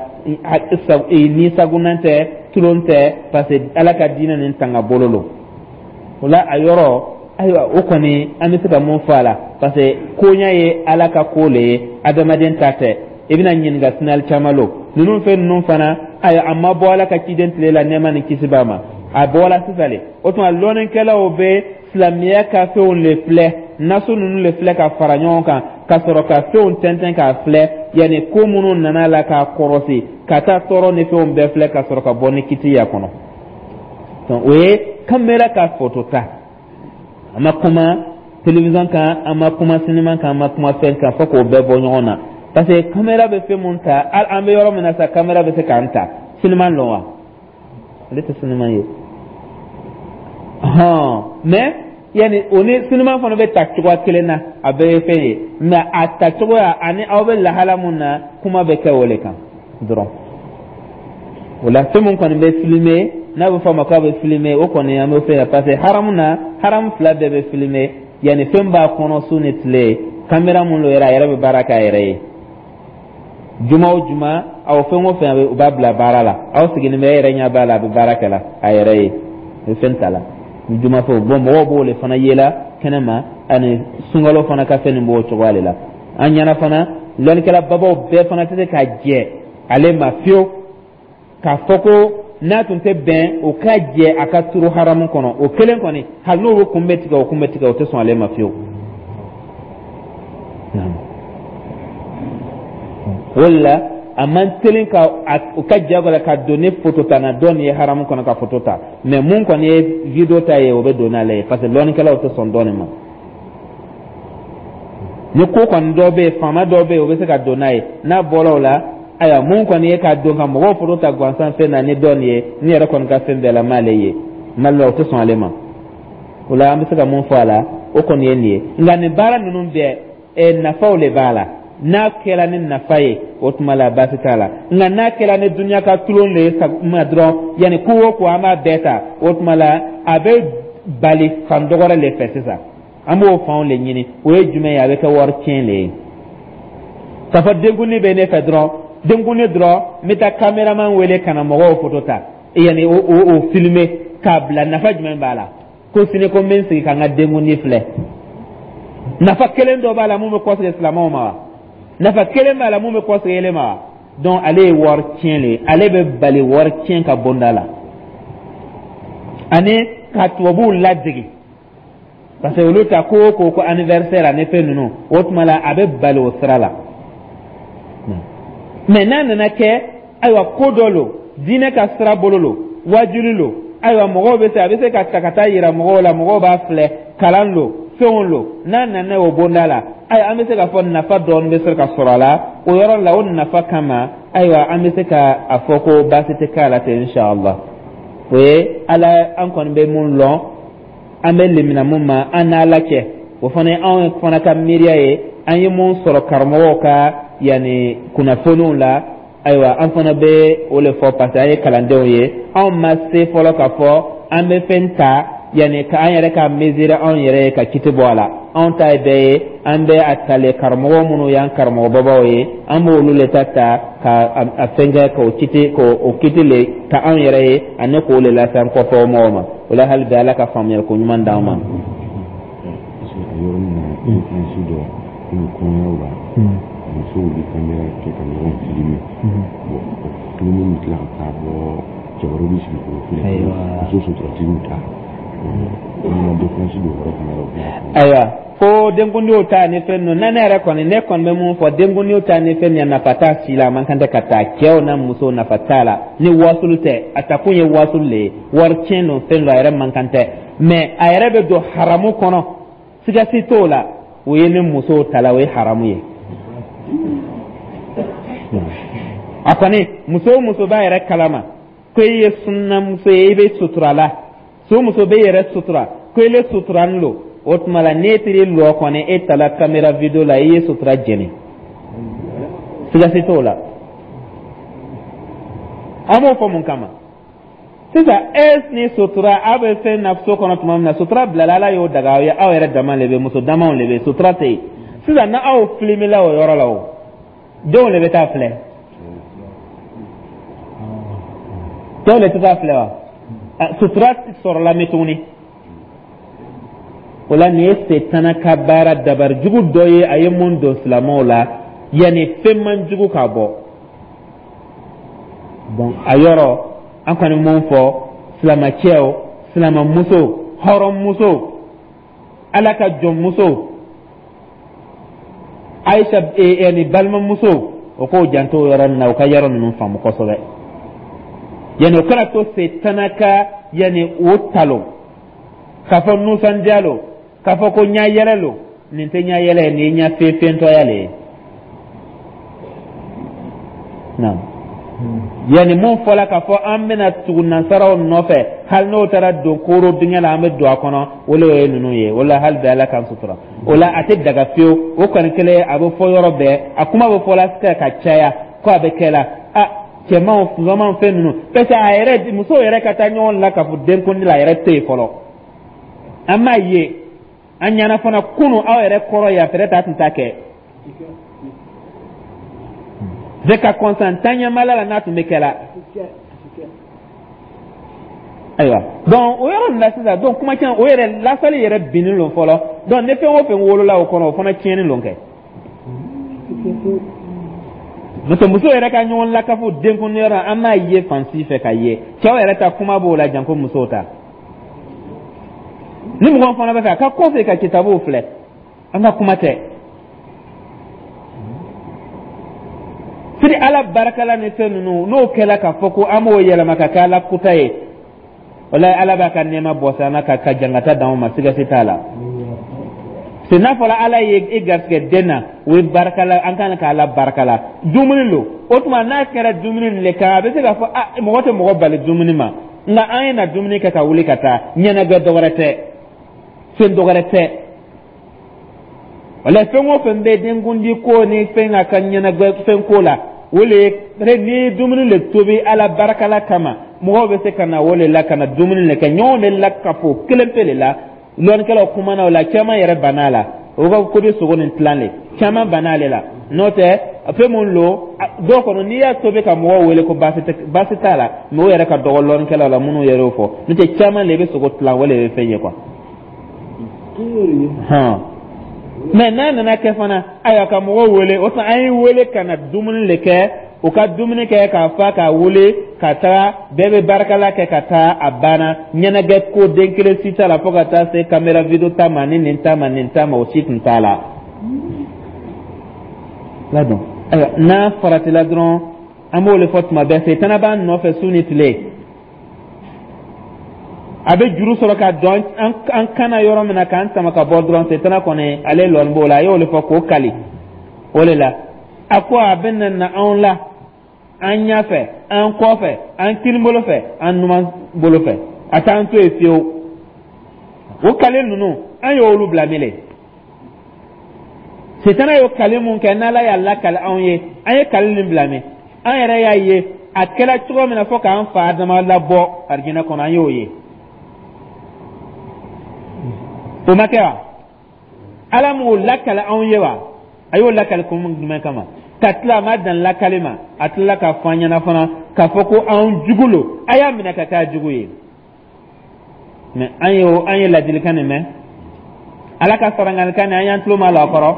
ni sagunan tɛ, tulon tɛ, parce que Ala ka diinɛ nin tanga bolo lo. O la, a yɔrɔ, ayiwa, o kɔni, an bɛ se ka mun fɔ a la? Parce que koɲa ye Ala ka ko le ye, adamaden ta tɛ. I bɛna ɲininka sinali caman lo ninnu fɛn ninnu fana. Ayiwa, a ma bɔ Ala ka ciden tile la, nɛɛma ni kisi b'a ma, a bɔra sisan le. O tuma, lɔnnikɛlaw bɛ silamɛya ka fɛnw le filɛ, naso ninnu le filɛ ka fara ɲɔgɔn kan, ka sɔrɔ ka fɛnw tɛntɛn k'a filɛ, yanni ko minnu nana la k'a kɔrɔsi, ka taa tɔɔrɔ ni fɛnw bɛɛ filɛ, ka sɔrɔ ka bɔ ni kiti y'a kɔnɔ. O ye caméra ka foto ta. A ma kuma télévision kan, a ma kuma sinima kan, a ma kuma fɛn kan, fo k'o bɛɛ bɔ ɲɔgɔn na, parce que caméra bɛ fɛn mun ta, hali an bɛ yɔrɔ min na sisan, caméra bɛ se k'an ta. Sinima lɔn wa? Ale tɛ sinima ye hɔn, mais yanni o ni sinima fana bɛ ta cogoya kelen na, a bɛɛ ye fɛn ye, mais a ta cogoya ani aw bɛ lahala mun na, kuma bɛ kɛ o de kan dɔrɔn. O la, fɛn mun kɔni bɛ filmer, n'a bɛ fɔ a ma k'a bɛ filmer, o kɔni an bɛ fɛn ye, parce que haramu na, haramu fila bɛɛ bɛ filmer, yanni fɛn b'a kɔnɔ su ni tile. Caméra mun lo yɛrɛ, a yɛrɛ bɛ baara kɛ a yɛrɛ ye juma o juma, aw fɛn o fɛn, u b'a bila baara la, aw sigilen bɛ, e yɛrɛ ɲɛ b'a la, a bɛ baara kɛ la a yɛrɛ ye, a bɛ fɛn ta la juma fɛ. Bɔn, mɔgɔw b'o de fana yela kɛnɛ ma, ani sunkalo fana ka fɛn nin b'o cogoya de la. An ɲɛna fana, lɔnnikɛla babaw bɛɛ fana tɛ se ka jɛ ale ma fiyewu k'a fɔ ko n'a tun tɛ bɛn o ka jɛ a ka turu haramu kɔnɔ. O kelen kɔni, hali n'o kun bɛ tigɛ, o kun bɛ tigɛ, o tɛ sɔn ale ma fiyewu. O de la, a man teli ka o ka jagoya ka don ni foto ta na dɔ nin ye haramu kɔnɔ ka foto ta. Mɛ mun kɔni ye vidéo ta ye, o bɛ don n'ale ye, parce que lɔnnikɛlaw tɛ sɔn dɔɔnin ma. Ni ko kɔni dɔ bɛ yen, faama dɔ bɛ yen, o bɛ se ka don n'a ye. N'a bɔra o la, ayiwa, mun kɔni ye ka don ka mɔgɔw foto ta gansan fɛn na ni dɔ nin ye, ne yɛrɛ kɔni ka fɛn bɛɛ la, m'ale ye mali la, o tɛ sɔn ale ma. O la, an bɛ se ka mun fɔ a la, o kɔni ye nin ye. Nka nin baara ninnu bɛɛ eh, nafaw le b'a la. N'a kɛra ni nafa ye, o tuma la baasi t'a la. Nka n'a kɛra ni duniya ka tulon le ye ma dɔrɔn, yanni ko o ko an b'a bɛɛ ta, o tuma la a bɛ bali fan dɔ wɛrɛ le fɛ. Sisan an b'o fanw le ɲini. O ye jumɛn ye? A bɛ kɛ wari tiɲɛ le ye. K'a fɔ denkundi bɛ ne fɛ dɔrɔn, denkundi dɔrɔn, n bɛ taa cameraman wele ka na mɔgɔw photo ta, yanni o o o filmer k'a bila. Nafa jumɛn b'a la ko sini ko n bɛ n sigi ka n ka denkundi filɛ? Nafa kelen dɔ b'a la mun bɛ kɔsegin silamɛw ma wa? Nafa kelen b'a la mun bɛ kɔsegin ele ma wa? Donc ale ye wari tiɲɛ le ye. Ale bɛ bali wari tiɲɛ ka bonda la ani ka tubabuw ladege, parce que olu ta ko o ko ko anniversaire ani fɛn ninnu, o tuma la a bɛ bali o sira la. Mais n'a nana kɛ, ayiwa, ko dɔ lo, diinɛ ka sira bolo lo, wajuli lo, ayiwa, mɔgɔw bɛ se, a bɛ se ka ta ka taa yira mɔgɔw la, mɔgɔw b'a filɛ, kalan lo, fɛnw lo. N'a nana o bonda la, ayiwa, an bɛ se k'a fɔ nafa dɔɔni bɛ se ka sɔrɔ a la o yɔrɔ la. O nafa kama, ayiwa, an bɛ se ka a fɔ ko baasi tɛ k'a la ten, inshallah. O ye ala an kɔni bɛ mun lɔn, an bɛ lemina mun ma an n'ala cɛ, o fana ye anw fana ka miiriya ye. An ye mun sɔrɔ karamɔgɔw ka yanni kunnafoniw la, ayiwa, an fana bɛ o le fɔ, parce que an ye kalandenw ye. Anw ma se fɔlɔ k'a fɔ an bɛ fɛn ta yanni ka an yɛrɛ ka mesurer anw yɛrɛ ye ka kiti bɔ a la. Anw ta ye bɛɛ ye, an bɛ a tale karamɔgɔ minnu y'an karamɔgɔbabaw ye, an b'olu le ta ta ka a fɛn kɛ k'o kiti k'o kiti le ta anw yɛrɛ ye ani k'o le lase an kɔfɛ mɔgɔw ma. O la, hali bi, Ala ka faamuyali ko ɲuman d'an ma. Parce que a yɔrɔnin na, influence dɔ komi kɔɲɔyɔrɔ la, musow bɛ caméra kɛ ka ɲɔgɔn filmer. Bon, o film bɛ tila ka taa bɔ, cɛ wɛrɛw bɛ sigi k'o filɛ, muso suturatigiw ta. O ma défense don yɔrɔ fana la. Ayiwa, ko denkundiw ta ni fɛn ninnu na, ne yɛrɛ kɔni, ne kɔni bɛ mun fɔ? Denkundiw ta ni fɛn min, nafa t'a si la. A man kan tɛ ka taa cɛw na musow, nafa t'a la ni wasulu tɛ. A takun ye wasulu le ye, wari tiɲɛ don, fɛn dɔ a yɛrɛ man kan tɛ. Mais a yɛrɛ bɛ don haramu kɔnɔ, siga si t'o la. O ye ni musow ta la, o ye haramu ye. A kɔni, muso o muso b'a yɛrɛ kalama ko i ye sunnamuso ye, i bɛ sutura la, so muso bɛ yɛrɛ sutura ko ile suturani lo, o tuma la n'e taara lɔ kɔni, e tala caméra vidéo la, i ye sutura jɛni, siga si t'o la. An b'o fɔ mun kama sisan? E ni sutura, aw bɛ fɛn na so kɔnɔ tuma min na, sutura bilala, Ala y'o daga aw ye, aw yɛrɛ dama le bɛ, muso damaw le bɛ, sutura tɛ yen. Sisan n'aw filimela o yɔrɔ la, o denw le bɛ taa filɛ, cɛw le tɛ taa filɛ wa? Sutura sɔrɔla min tuguni? O la, nin ye setana ka baara dabari jugu dɔ ye, a ye mun don silamɛw la yanni fɛn man jugu ka bɔ. Donc a yɔrɔ, an kɔni mun fɔ silamɛcɛw, silamɛmuso, hɔrɔnmuso, Ala ka jɔnmuso, Ayisa ni balimamuso, o k'o janto o yɔrɔ nin na, o ka yɔrɔ ninnu faamu kosɛbɛ, yanni o kana to setana ka yanni o talo k'a fɔ nusɔndiya lo, k'a fɔ ko ɲa yɛlɛ lo. Nin tɛ ɲa yɛlɛ ye, nin ye ɲa fefentɔya le ye. Naam, yanni mun fɔla k'a fɔ an bɛna tugu nansaraw nɔfɛ, hali n'o taara don kooro dingɛ la, an bɛ don a kɔnɔ, o le ye ninnu ye. O la, hali bi, Ala k'an sutura. O la, a tɛ daga fiyewu. O kɔni kɛlen, a bɛ fɔ yɔrɔ bɛɛ, a kuma bɛ fɔ la ka caya ko a bɛ kɛ la a cɛmanw, musomanw, fɛn ninnu, parce que a yɛrɛ, musow yɛrɛ ka taa ɲɔgɔn la k'a fɔ denkundi la, a yɛrɛ tɛ yen fɔlɔ. An m'a ye an ɲɛna fana kunu aw yɛrɛ kɔrɔ yan, peut-être a tun t'a kɛ bɛɛ ka kɔnsan taɲamala la n'a tun bɛ kɛ la. Ayiwa, donc o yɔrɔ nin la sisan, donc kuma caman, o yɛrɛ lasali yɛrɛ binnen don fɔlɔ. Donc ni fɛn o fɛn wolola o kɔnɔ, o fana tiɲɛni don kɛ. Muso muso yɛrɛ ka ɲɔgɔn lakafu denkundiyɔrɔ, an m'a ye fan si fɛ ka ye. Cɛw yɛrɛ ta kuma b'o la, janko musow ta. Ni mɔgɔ fana bɛ fɛ a ka kɔfɛ ka kitabuw filɛ, an ka kuma tɛ sidi Ala barakala ni fɛn ninnu. N'o kɛla k'a fɔ ko an b'o yɛlɛma ka kɛ Ala kuta ye, walayi, Ala b'a ka nɛɛma bɔ an na ka ka jangata d'anw ma, siga si t'a la. Se n'a fɔra Ala ye e garisɛgɛ den na, o ye barakala, an kan ka Ala barakala. Dumuni lo, o tuma n'a kɛra dumuni nin le kan, a bɛ se k'a fɔ a mɔgɔ tɛ mɔgɔ bali dumuni ma, nka an ye na dumuni kɛ ka wuli ka taa, ɲɛnajɛ dɔ wɛrɛ tɛ, fɛn dɔ wɛrɛ tɛ. Wala fɛn o fɛn bɛ denkundi ko ni fɛn a ka ɲɛnajɛ fɛn ko la, o le ye n'i ye dumuni le tobi Ala barakala kama, mɔgɔw bɛ se ka na o le la ka na dumuni le kɛ ɲɔgɔn de la kafo kelen pe le la. Lɔnnikɛlaw kumana o la, caman yɛrɛ banna a la. O ka ko bɛ sogo nin tilan le, caman banna ale la. N'o tɛ, fɛn mun lo, dɔw kɔnɔ n'i y'a tobi ka mɔgɔw wele ko baasi tɛ, baasi t'a la. Mais o yɛrɛ ka dɔgɔ lɔnnikɛlaw la minnu yɛrɛ y'o fɔ. N'o tɛ, caman le bɛ sogo tilan, o le bɛ fɛn ye quoi. Hɔn, mais n'a nana kɛ fana, ayiwa, ka mɔgɔw wele, o tuma an ye wele ka na dumuni le kɛ, u ka dumuni kɛ k'a fa k'a wele ka taga, bɛɛ bɛ barikala kɛ ka taa, a banna. Ɲɛnajɛ ko den kelen si t'a la fo ka taa se caméra vidéo ta ma ni nin ta ma, nin ta ma, o si tun t'a la. Ladɔn, ayiwa, n'a faratila dɔrɔn, an b'o de fɔ tuma bɛɛ, setana b'an nɔfɛ su ni tile. A bɛ juru sɔrɔ ka dɔn an kana yɔrɔ min na k'an sama ka bɔ dɔrɔn. Setana kɔni, ale lɔnni b'o la, a y'o de fɔ k'o kali o de la. A ko a bɛ na na anw la, an ɲɛfɛ, an kɔfɛ, an kini bolo fɛ, an numan bolo fɛ, a t'an to yen fiyewu. O kale ninnu, an y'olu bila mele. Setana y'o kale mun kɛ, n'Ala y'a lakale anw ye, an ye kale nin bila min, an yɛrɛ y'a ye a kɛra cogo min na fo k'an fa Adama labɔ arijinɛ kɔnɔ, an y'o ye. O ma kɛ wa? Ala m'o lakale anw ye wa? A y'o lakale kun jumɛn kama? Ka tila, a ma dan lakale ma, a tilala k'a fɔ an ɲɛna fana k'a fɔ ko anw jugu lo, a y'a minɛ ka k'a jugu ye. Mais an ye an ye ladilikan nin mɛn, Ala ka sarangalikan nin, an y'an tulo ma la a kɔrɔ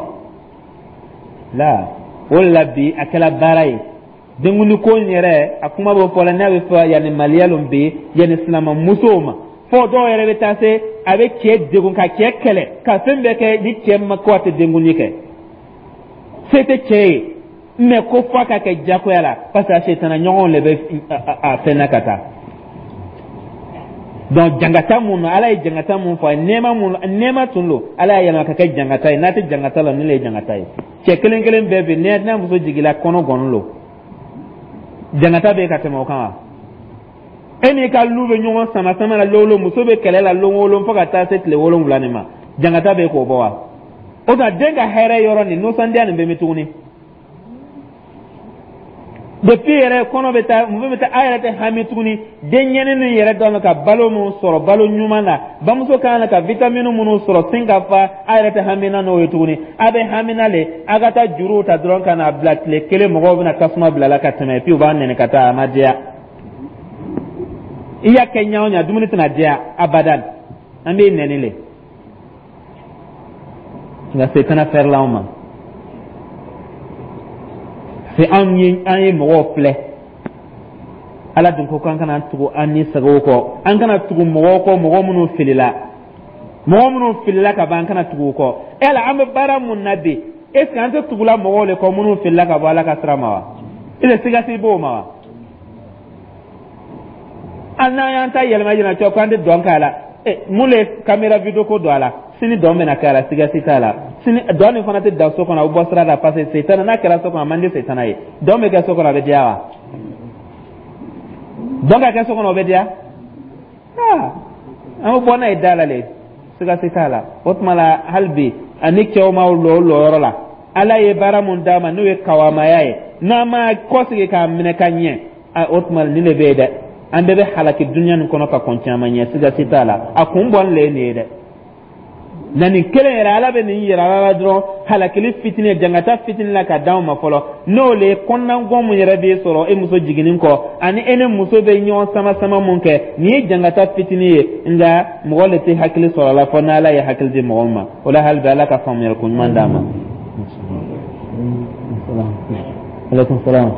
la. O de la bi a kɛla baara ye. Denkundi ko in yɛrɛ, a kuma bɛ fɔ la, n'a bɛ fɔ yanni maliya lo bi, yanni silamamusow ma fo dɔw yɛrɛ bɛ taa se a bɛ cɛ degun, ka cɛ kɛlɛ, ka fɛn bɛɛ kɛ ni cɛ ma ko a tɛ denkundi kɛ. Se tɛ cɛ ye, mais ko f'a ka kɛ jagoya la, parce que a setana ɲɔgɔnw de bɛ a fɛn na ka taa. Donc jangata mun na, Ala ye jangata mun fɔ a ye, nɛɛma mun, nɛɛma tun don, Ala y'a yɛlɛma ka kɛ jangata ye. N'a tɛ jangata la, nin de ye jangata ye. Cɛ kelen kelen bɛɛ bɛ yen, n'a muso jiginna, kɔnɔ gɔnni lo, jangata bɛ yen ka tɛmɛ o kan wa? E n'i ka lu bɛ ɲɔgɔn sama sama la lon o lon, muso bɛ kɛlɛ la lon o lon fo ka taa se tile wolonwula nin ma, jangata bɛ yen k'o bɔ wa? O tuma den ka hɛrɛ yɔrɔ nin, nisɔndiya nin bɛ min tuguni? Depuis yɛrɛ kɔnɔ bɛ taa, muso bɛ taa, a yɛrɛ tɛ hami tuguni. Den ɲɛni nin yɛrɛ dɔn ka balo min sɔrɔ, balo ɲuman na, bamuso kan ka vitamine minnu sɔrɔ sin ka fa, a yɛrɛ tɛ hamina n'o ye tuguni. A bɛ hamina le a ka taa juruw ta dɔrɔn ka n'a bila tile kelen, mɔgɔw bɛna tasuma bila la ka tɛmɛ, puis u b'a nɛni ka taa, a ma diya. I y'a kɛ ɲa o ɲa, dumuni tɛna diya abadan, an b'i nɛni le. Nka setana fɛrɛla anw ma se, anw ye an ye mɔgɔw filɛ. Ala dun ko k'an kana tugu an ni sagaw kɔ, an kana tugu mɔgɔw kɔ, mɔgɔ minnu filila, mɔgɔ minnu filila ka ban, an kana tugu u kɔ. E la, an bɛ baara mun na bi? Est ce que an tɛ tugula mɔgɔw de kɔ minnu filila ka bɔ Ala ka sira ma wa? E siga si b'o ma wa? Hali n'an y'an ta yɛlɛma yɛlɛma cogo k'an tɛ dɔn k'a la, mun le caméra vidéo ko don a la? Sini dɔn bɛna kɛ a la, siga si t'a la. Sini dɔn nin fana tɛ dan so kɔnɔ, a bɛ bɔ sira la, parce que setana n'a kɛra so kɔnɔ, a man di setana ye. Dɔn bɛ kɛ so kɔnɔ, a bɛ diya wa? Dɔn ka kɛ so kɔnɔ, o bɛ diya? Aa, an bɛ bɔ n'a ye da la le, siga si t'a la. O tuma la, hali bi ani cɛw ma lɔ o lɔyɔrɔ la, Ala ye baara mun d'a ma, n'o ye kawamaya ye, n'an ma kɔsigi k'a minɛ ka ɲɛ, o tuma nin de bɛ yen dɛ, an bɛɛ bɛ halaki dunuya nin kɔnɔ ka kɔn caman ɲɛ, siga si t'a la. A kun bɔlen le ye nin ye dɛ. Na nin kelen yɛrɛ, Ala bɛ nin yɛrɛ la dɔrɔn, halakili fitinin, jangata fitinin la ka d'anw ma fɔlɔ, n'o le ye kɔnɔnagɔn mun yɛrɛ b'e sɔrɔ e muso jiginnin kɔ, ani e ni muso bɛ ɲɔgɔn sama sama mun kɛ, nin ye jangata fitinin ye. Nka mɔgɔ le tɛ hakili sɔrɔ a la fɔ n'Ala ye hakili di mɔgɔ ma. O la, hali bi Ala ka faamuyali ko ɲuman d'a ma. Aleykum salaam.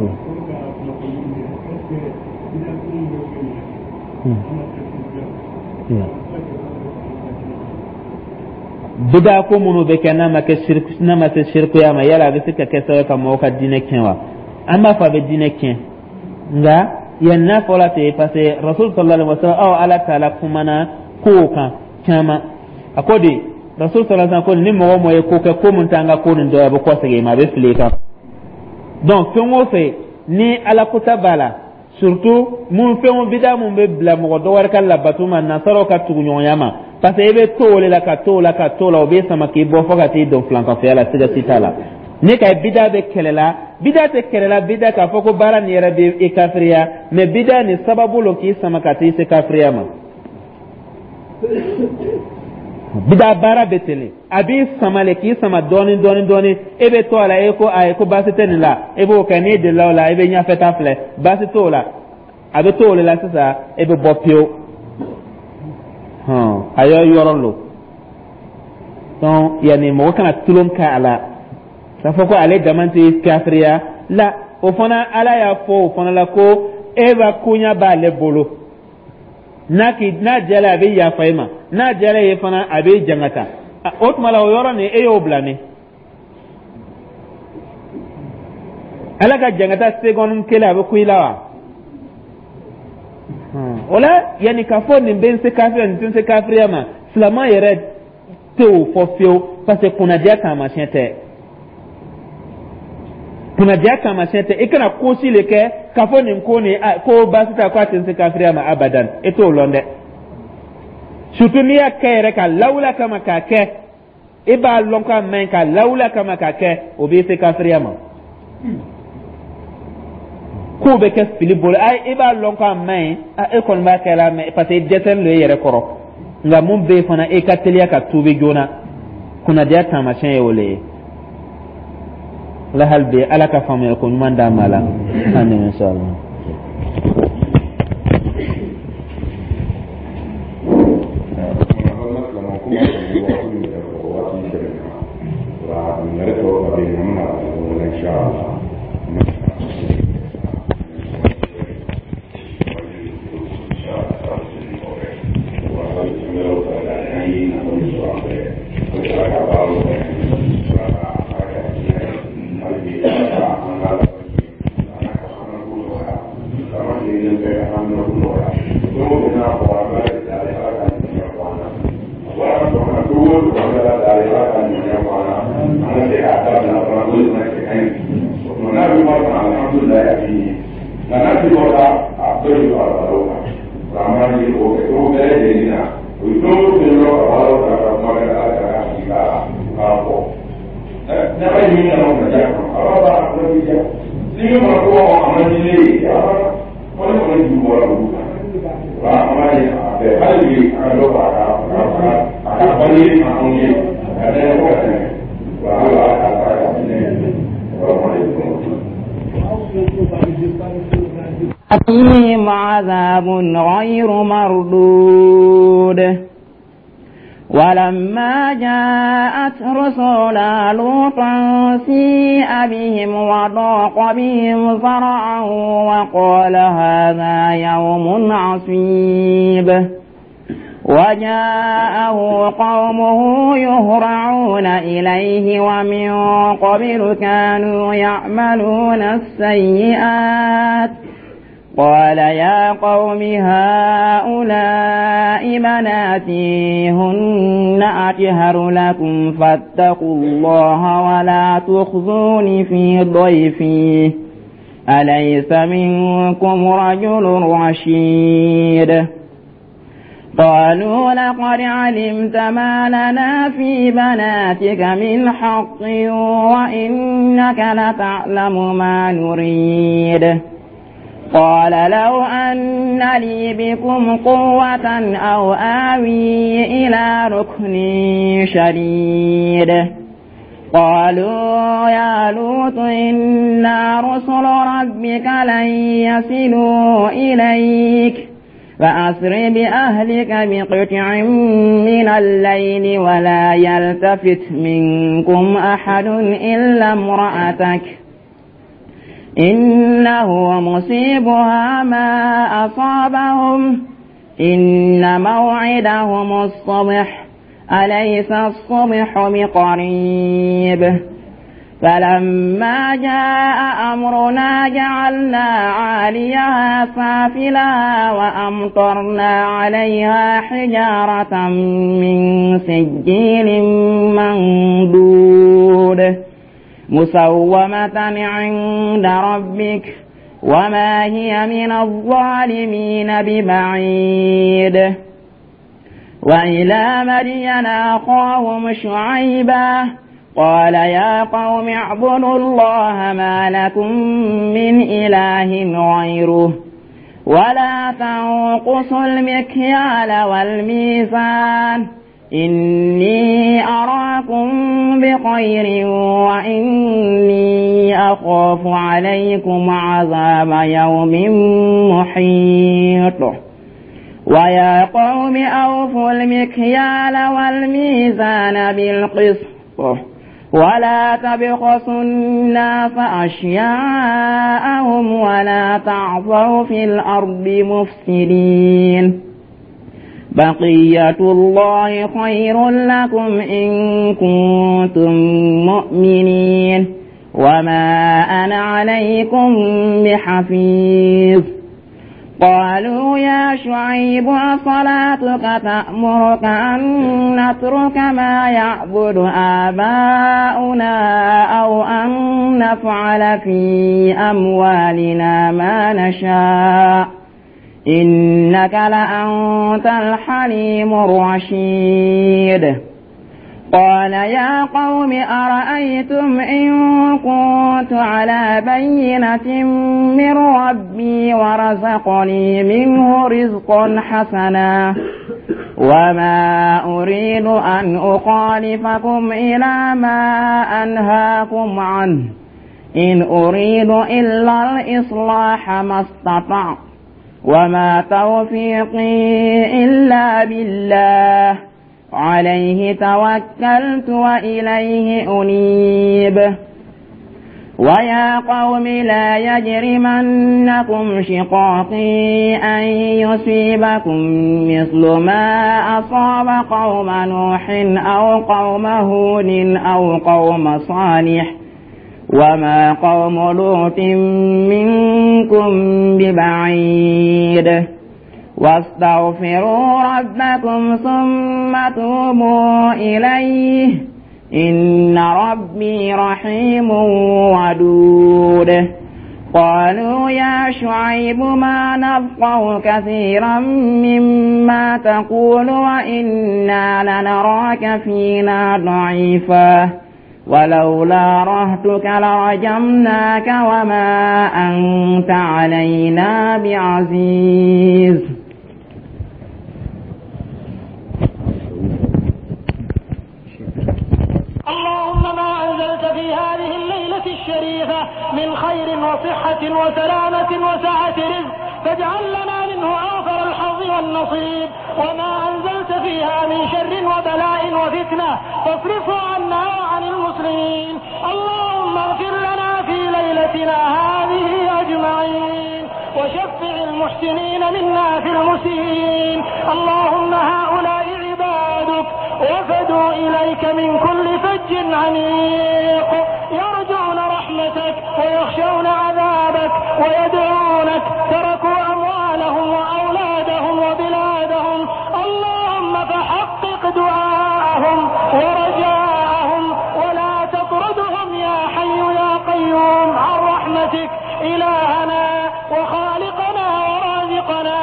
Hmm. Bida ko minnu bɛ kɛ, n'a ma kɛ siriku, n'a ma se sirikuya ma, yala a bɛ se ka kɛ sababu ka mɔgɔw ka diinɛ tiɲɛ wa? An b'a fɔ a bɛ diinɛ tiɲɛ, nka yan n'a fɔra ten, parce que Rasul sallallahu alaihi wa sallam, aw Ala taala kumana kow kan caman. A ko de, Rasul sallallahu alaihi wa sallam ko ni mɔgɔ mɔgɔ ye ko kɛ, ko mun t'an ka ko nin dɔ ye, a bɛ kɔsegin i ma, a bɛ fili i kan. Donc fɛn o fɛn ni Ala kota b'a la, surtout mun fɛn o bida mun bɛ bila mɔgɔ dɔ wɛrɛ ka labato ma, nasaraw ka tuguɲɔgɔnya ma. Parce que i bɛ to o de la, ka to o la, ka to o la, o b'i sama k'i bɔ fo ka t'i don filankafoya la. Siga si t'a la, ne ka bida bɛ kɛlɛ la, bida tɛ kɛlɛ la, bida k'a fɔ ko baara nin yɛrɛ bɛ i kafiriya, mais bida nin sababu lo k'i sama ka t'i se kafiriya ma. Bida baara bɛ ten, a b'i sama le, k'i sama dɔɔni dɔɔni dɔɔni, e bɛ to a la, e ko ayi, ko baasi tɛ nin la, e b'o kɛ. N'i delila o la, i bɛ ɲɛfɛ ta filɛ, baasi t'o la, a bɛ to o de la sisan, e bɛ bɔ pewu. Hɔn, a y'o yɔrɔ lo. Donc yanni mɔgɔ kana tulon kɛ a la k'a fɔ ko ale dama tɛ kafiriya la. O fana, Ala y'a fɔ o fana la ko e b'a koɲa b'ale bolo, n'a k'i n'a diyara a bɛ yafa i ma, n'a diyara ye fana a bɛ jangata. O tuma la, o yɔrɔ nin, e y'o bila min, Ala ka jangata seconde kelen a bɛ ku i la wa? O la, yanni k'a fɔ nin bɛ n se kafiriya, nin tɛ n se kafiriya ma, silamɛ yɛrɛ tɛ o fɔ fiyewu, parce que kunnadiya taamasiyɛn tɛ, kunnadiya taamasiyɛn tɛ. I kana ko si le kɛ k'a fɔ nin ko nin ko baasi t'a, ko a tɛ n se kafiriya ma abadan, e t'o lɔn dɛ. Surtout n'i y'a kɛ yɛrɛ ka lawula kama k'a kɛ, e b'a lɔn k'a man ɲi, ka lawula kama k'a kɛ, o b'i se kafiriya ma. Kow bɛ kɛ fili bolo, ayi, e b'a lɔn k'a man ɲi, e kɔni b'a kɛ la, mais parce que i dɛsɛlen don e yɛrɛ kɔrɔ. Nka mun bɛ yen fana, e ka teliya ka tuubi joona, kunnadiya taamasiyɛn ye o le ye. Ala hali bi, Ala ka faamuyali ko ɲuman d'an ma la an ni inshallah. فيهم عذاب غير مردود. ولما جاءت رسلنا لوطا سيء بهم وضاق بهم ذرعا وقال هذا يوم عصيب. وجاءه قومه يهرعون إليه ومن قبل كانوا يعملون السيئات. قال يا قوم هؤلاء بناتي هن أطهر لكم فاتقوا الله ولا تخزون في ضيفي أليس منكم رجل رشيد. قالوا لقد علمت ما لنا في بناتك من حق وإنك لتعلم ما نريد. قال لو أن لي بكم قوة أو آوي إلى ركن شديد. قالوا يا لوط إنا رسل ربك لن يصلوا إليك فأسر بأهلك بقطع من الليل ولا يلتفت منكم أحد إلا امرأتك إنه مصيبها ما أصابهم إن موعدهم الصبح أليس الصبح بقريب. فلما جاء أمرنا جعلنا عاليها سافلها وأمطرنا عليها حجارة من سجيل منضود مسومة عند ربك وما هي من الظالمين ببعيد. وإلى مدين أخاهم شعيبا قال يا قوم اعبدوا الله ما لكم من إله غيره ولا تنقصوا المكيال والميزان إني أراكم بخير وإني أخاف عليكم عذاب يوم محيط ويا قوم أوفوا المكيال والميزان بالقسط ولا تبخسوا الناس أشياءهم ولا تعثوا في الأرض مفسدين بقية الله خير لكم إن كنتم مؤمنين وما أنا عليكم بحفيظ قالوا يا شعيب أصلاتك تأمرك أن نترك ما يعبد آباؤنا أو أن نفعل في أموالنا ما نشاء إنك لأنت الحليم الرشيد قال يا قوم أرأيتم إن كنت على بينة من ربي ورزقني منه رزقا حسنا وما أريد أن أخالفكم إلى ما أنهاكم عنه إن أريد إلا الإصلاح ما استطعت وما توفيقي إلا بالله عليه توكلت وإليه أنيب ويا قوم لا يجرمنكم شقاقي أن يصيبكم مثل ما أصاب قوم نوح أو قوم هود أو قوم صالح وما قوم لوط منكم ببعيد واستغفروا ربكم ثم توبوا إليه إن ربي رحيم ودود قالوا يا شعيب ما نفقه كثيرا مما تقول وإنا لنراك فينا ضعيفا ولولا رهتك لرجمناك وما أنت علينا بعزيز. اللهم ما أنزلت في هذه الليلة الشريفة من خير وصحة وسلامة وسعة رزق فاجعل لنا منه أوفر الحظ والنصيب، وما أنزلت فيها من شر وبلاء وفتنة فاصرفه عنا وعن المسلمين. اللهم اغفر لنا في ليلتنا هذه أجمعين، وشفع المحسنين منا في المسيئين. اللهم هؤلاء عبادك وفدوا إليك من كل فج عميق، يرجون رحمتك ويخشون عذابك ويدعونك، تركوا أموالهم وأولادهم وبلادهم. اللهم فحقق دعاءهم ورجاءهم ولا تطردهم يا حي يا قيوم عن رحمتك. إلهنا وخالقنا ورازقنا،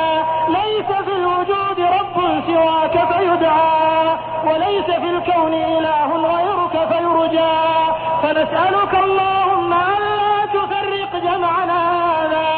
ليس في الوجود رب سواك فيدعى، وليس في الكون إله غيرك فيرجى. فنسألك اللهم ألا تفرق جمعنا هذا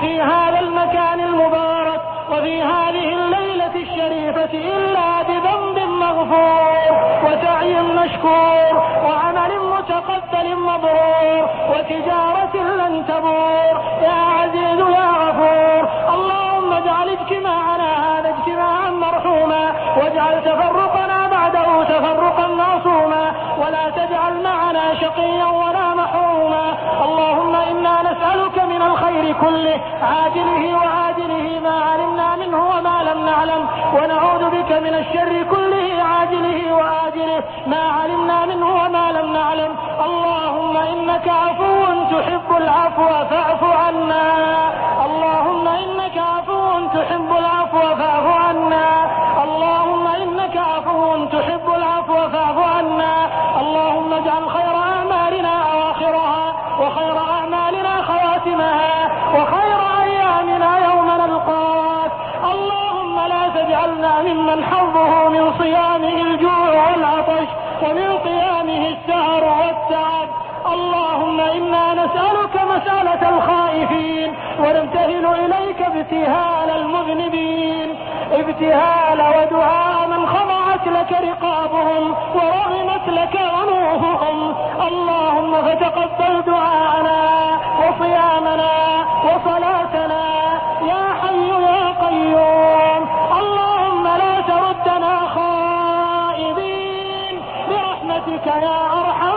في هذا المكان المبارك وفي هذه الليلة الشريفة إلا بذنب مغفور وسعي مشكور وعمل متقبل مبرور وتجارة لن تبور يا عزيز يا غفور. اللهم اجعل اجتماعنا هذا اجتماعا مرحوما، واجعل تفرقنا بعده تفرقا معصوما، ولا تجعل معنا شقيا ولا محروما. اللهم إنا نسألك من الخير كله عاجله وآجله ما علمنا منه وما لم نعلم، ونعوذ بك من الشر كله عاجله وآجله ما علمنا منه وما لم نعلم. اللهم إنك عفو تحب العفو فاعف عنا. اللهم إنك عفو تحب العفو فاعف عنا. اللهم إنك عفو تحب العفو فاعف عنا. اللهم اجعل خير أعمالنا أواخرها، وخير أعمالنا خواتمها، وخير أيامنا يوم نلقاك. اللهم لا تجعلنا واجعلنا ممن حظه من صيامه الجوع والعطش ومن قيامه السهر والتعب. اللهم إنا نسألك مسألة الخائفين، ونبتهل إليك ابتهال المذنبين، ابتهال ودعاء من خضعت لك رقابهم ورغمت لك أنوفهم. اللهم فتقبل دعاءنا وصيامنا وصلاتنا يا حي يا قيوم. اللهم لا تردنا خائبين برحمتك يا أرحم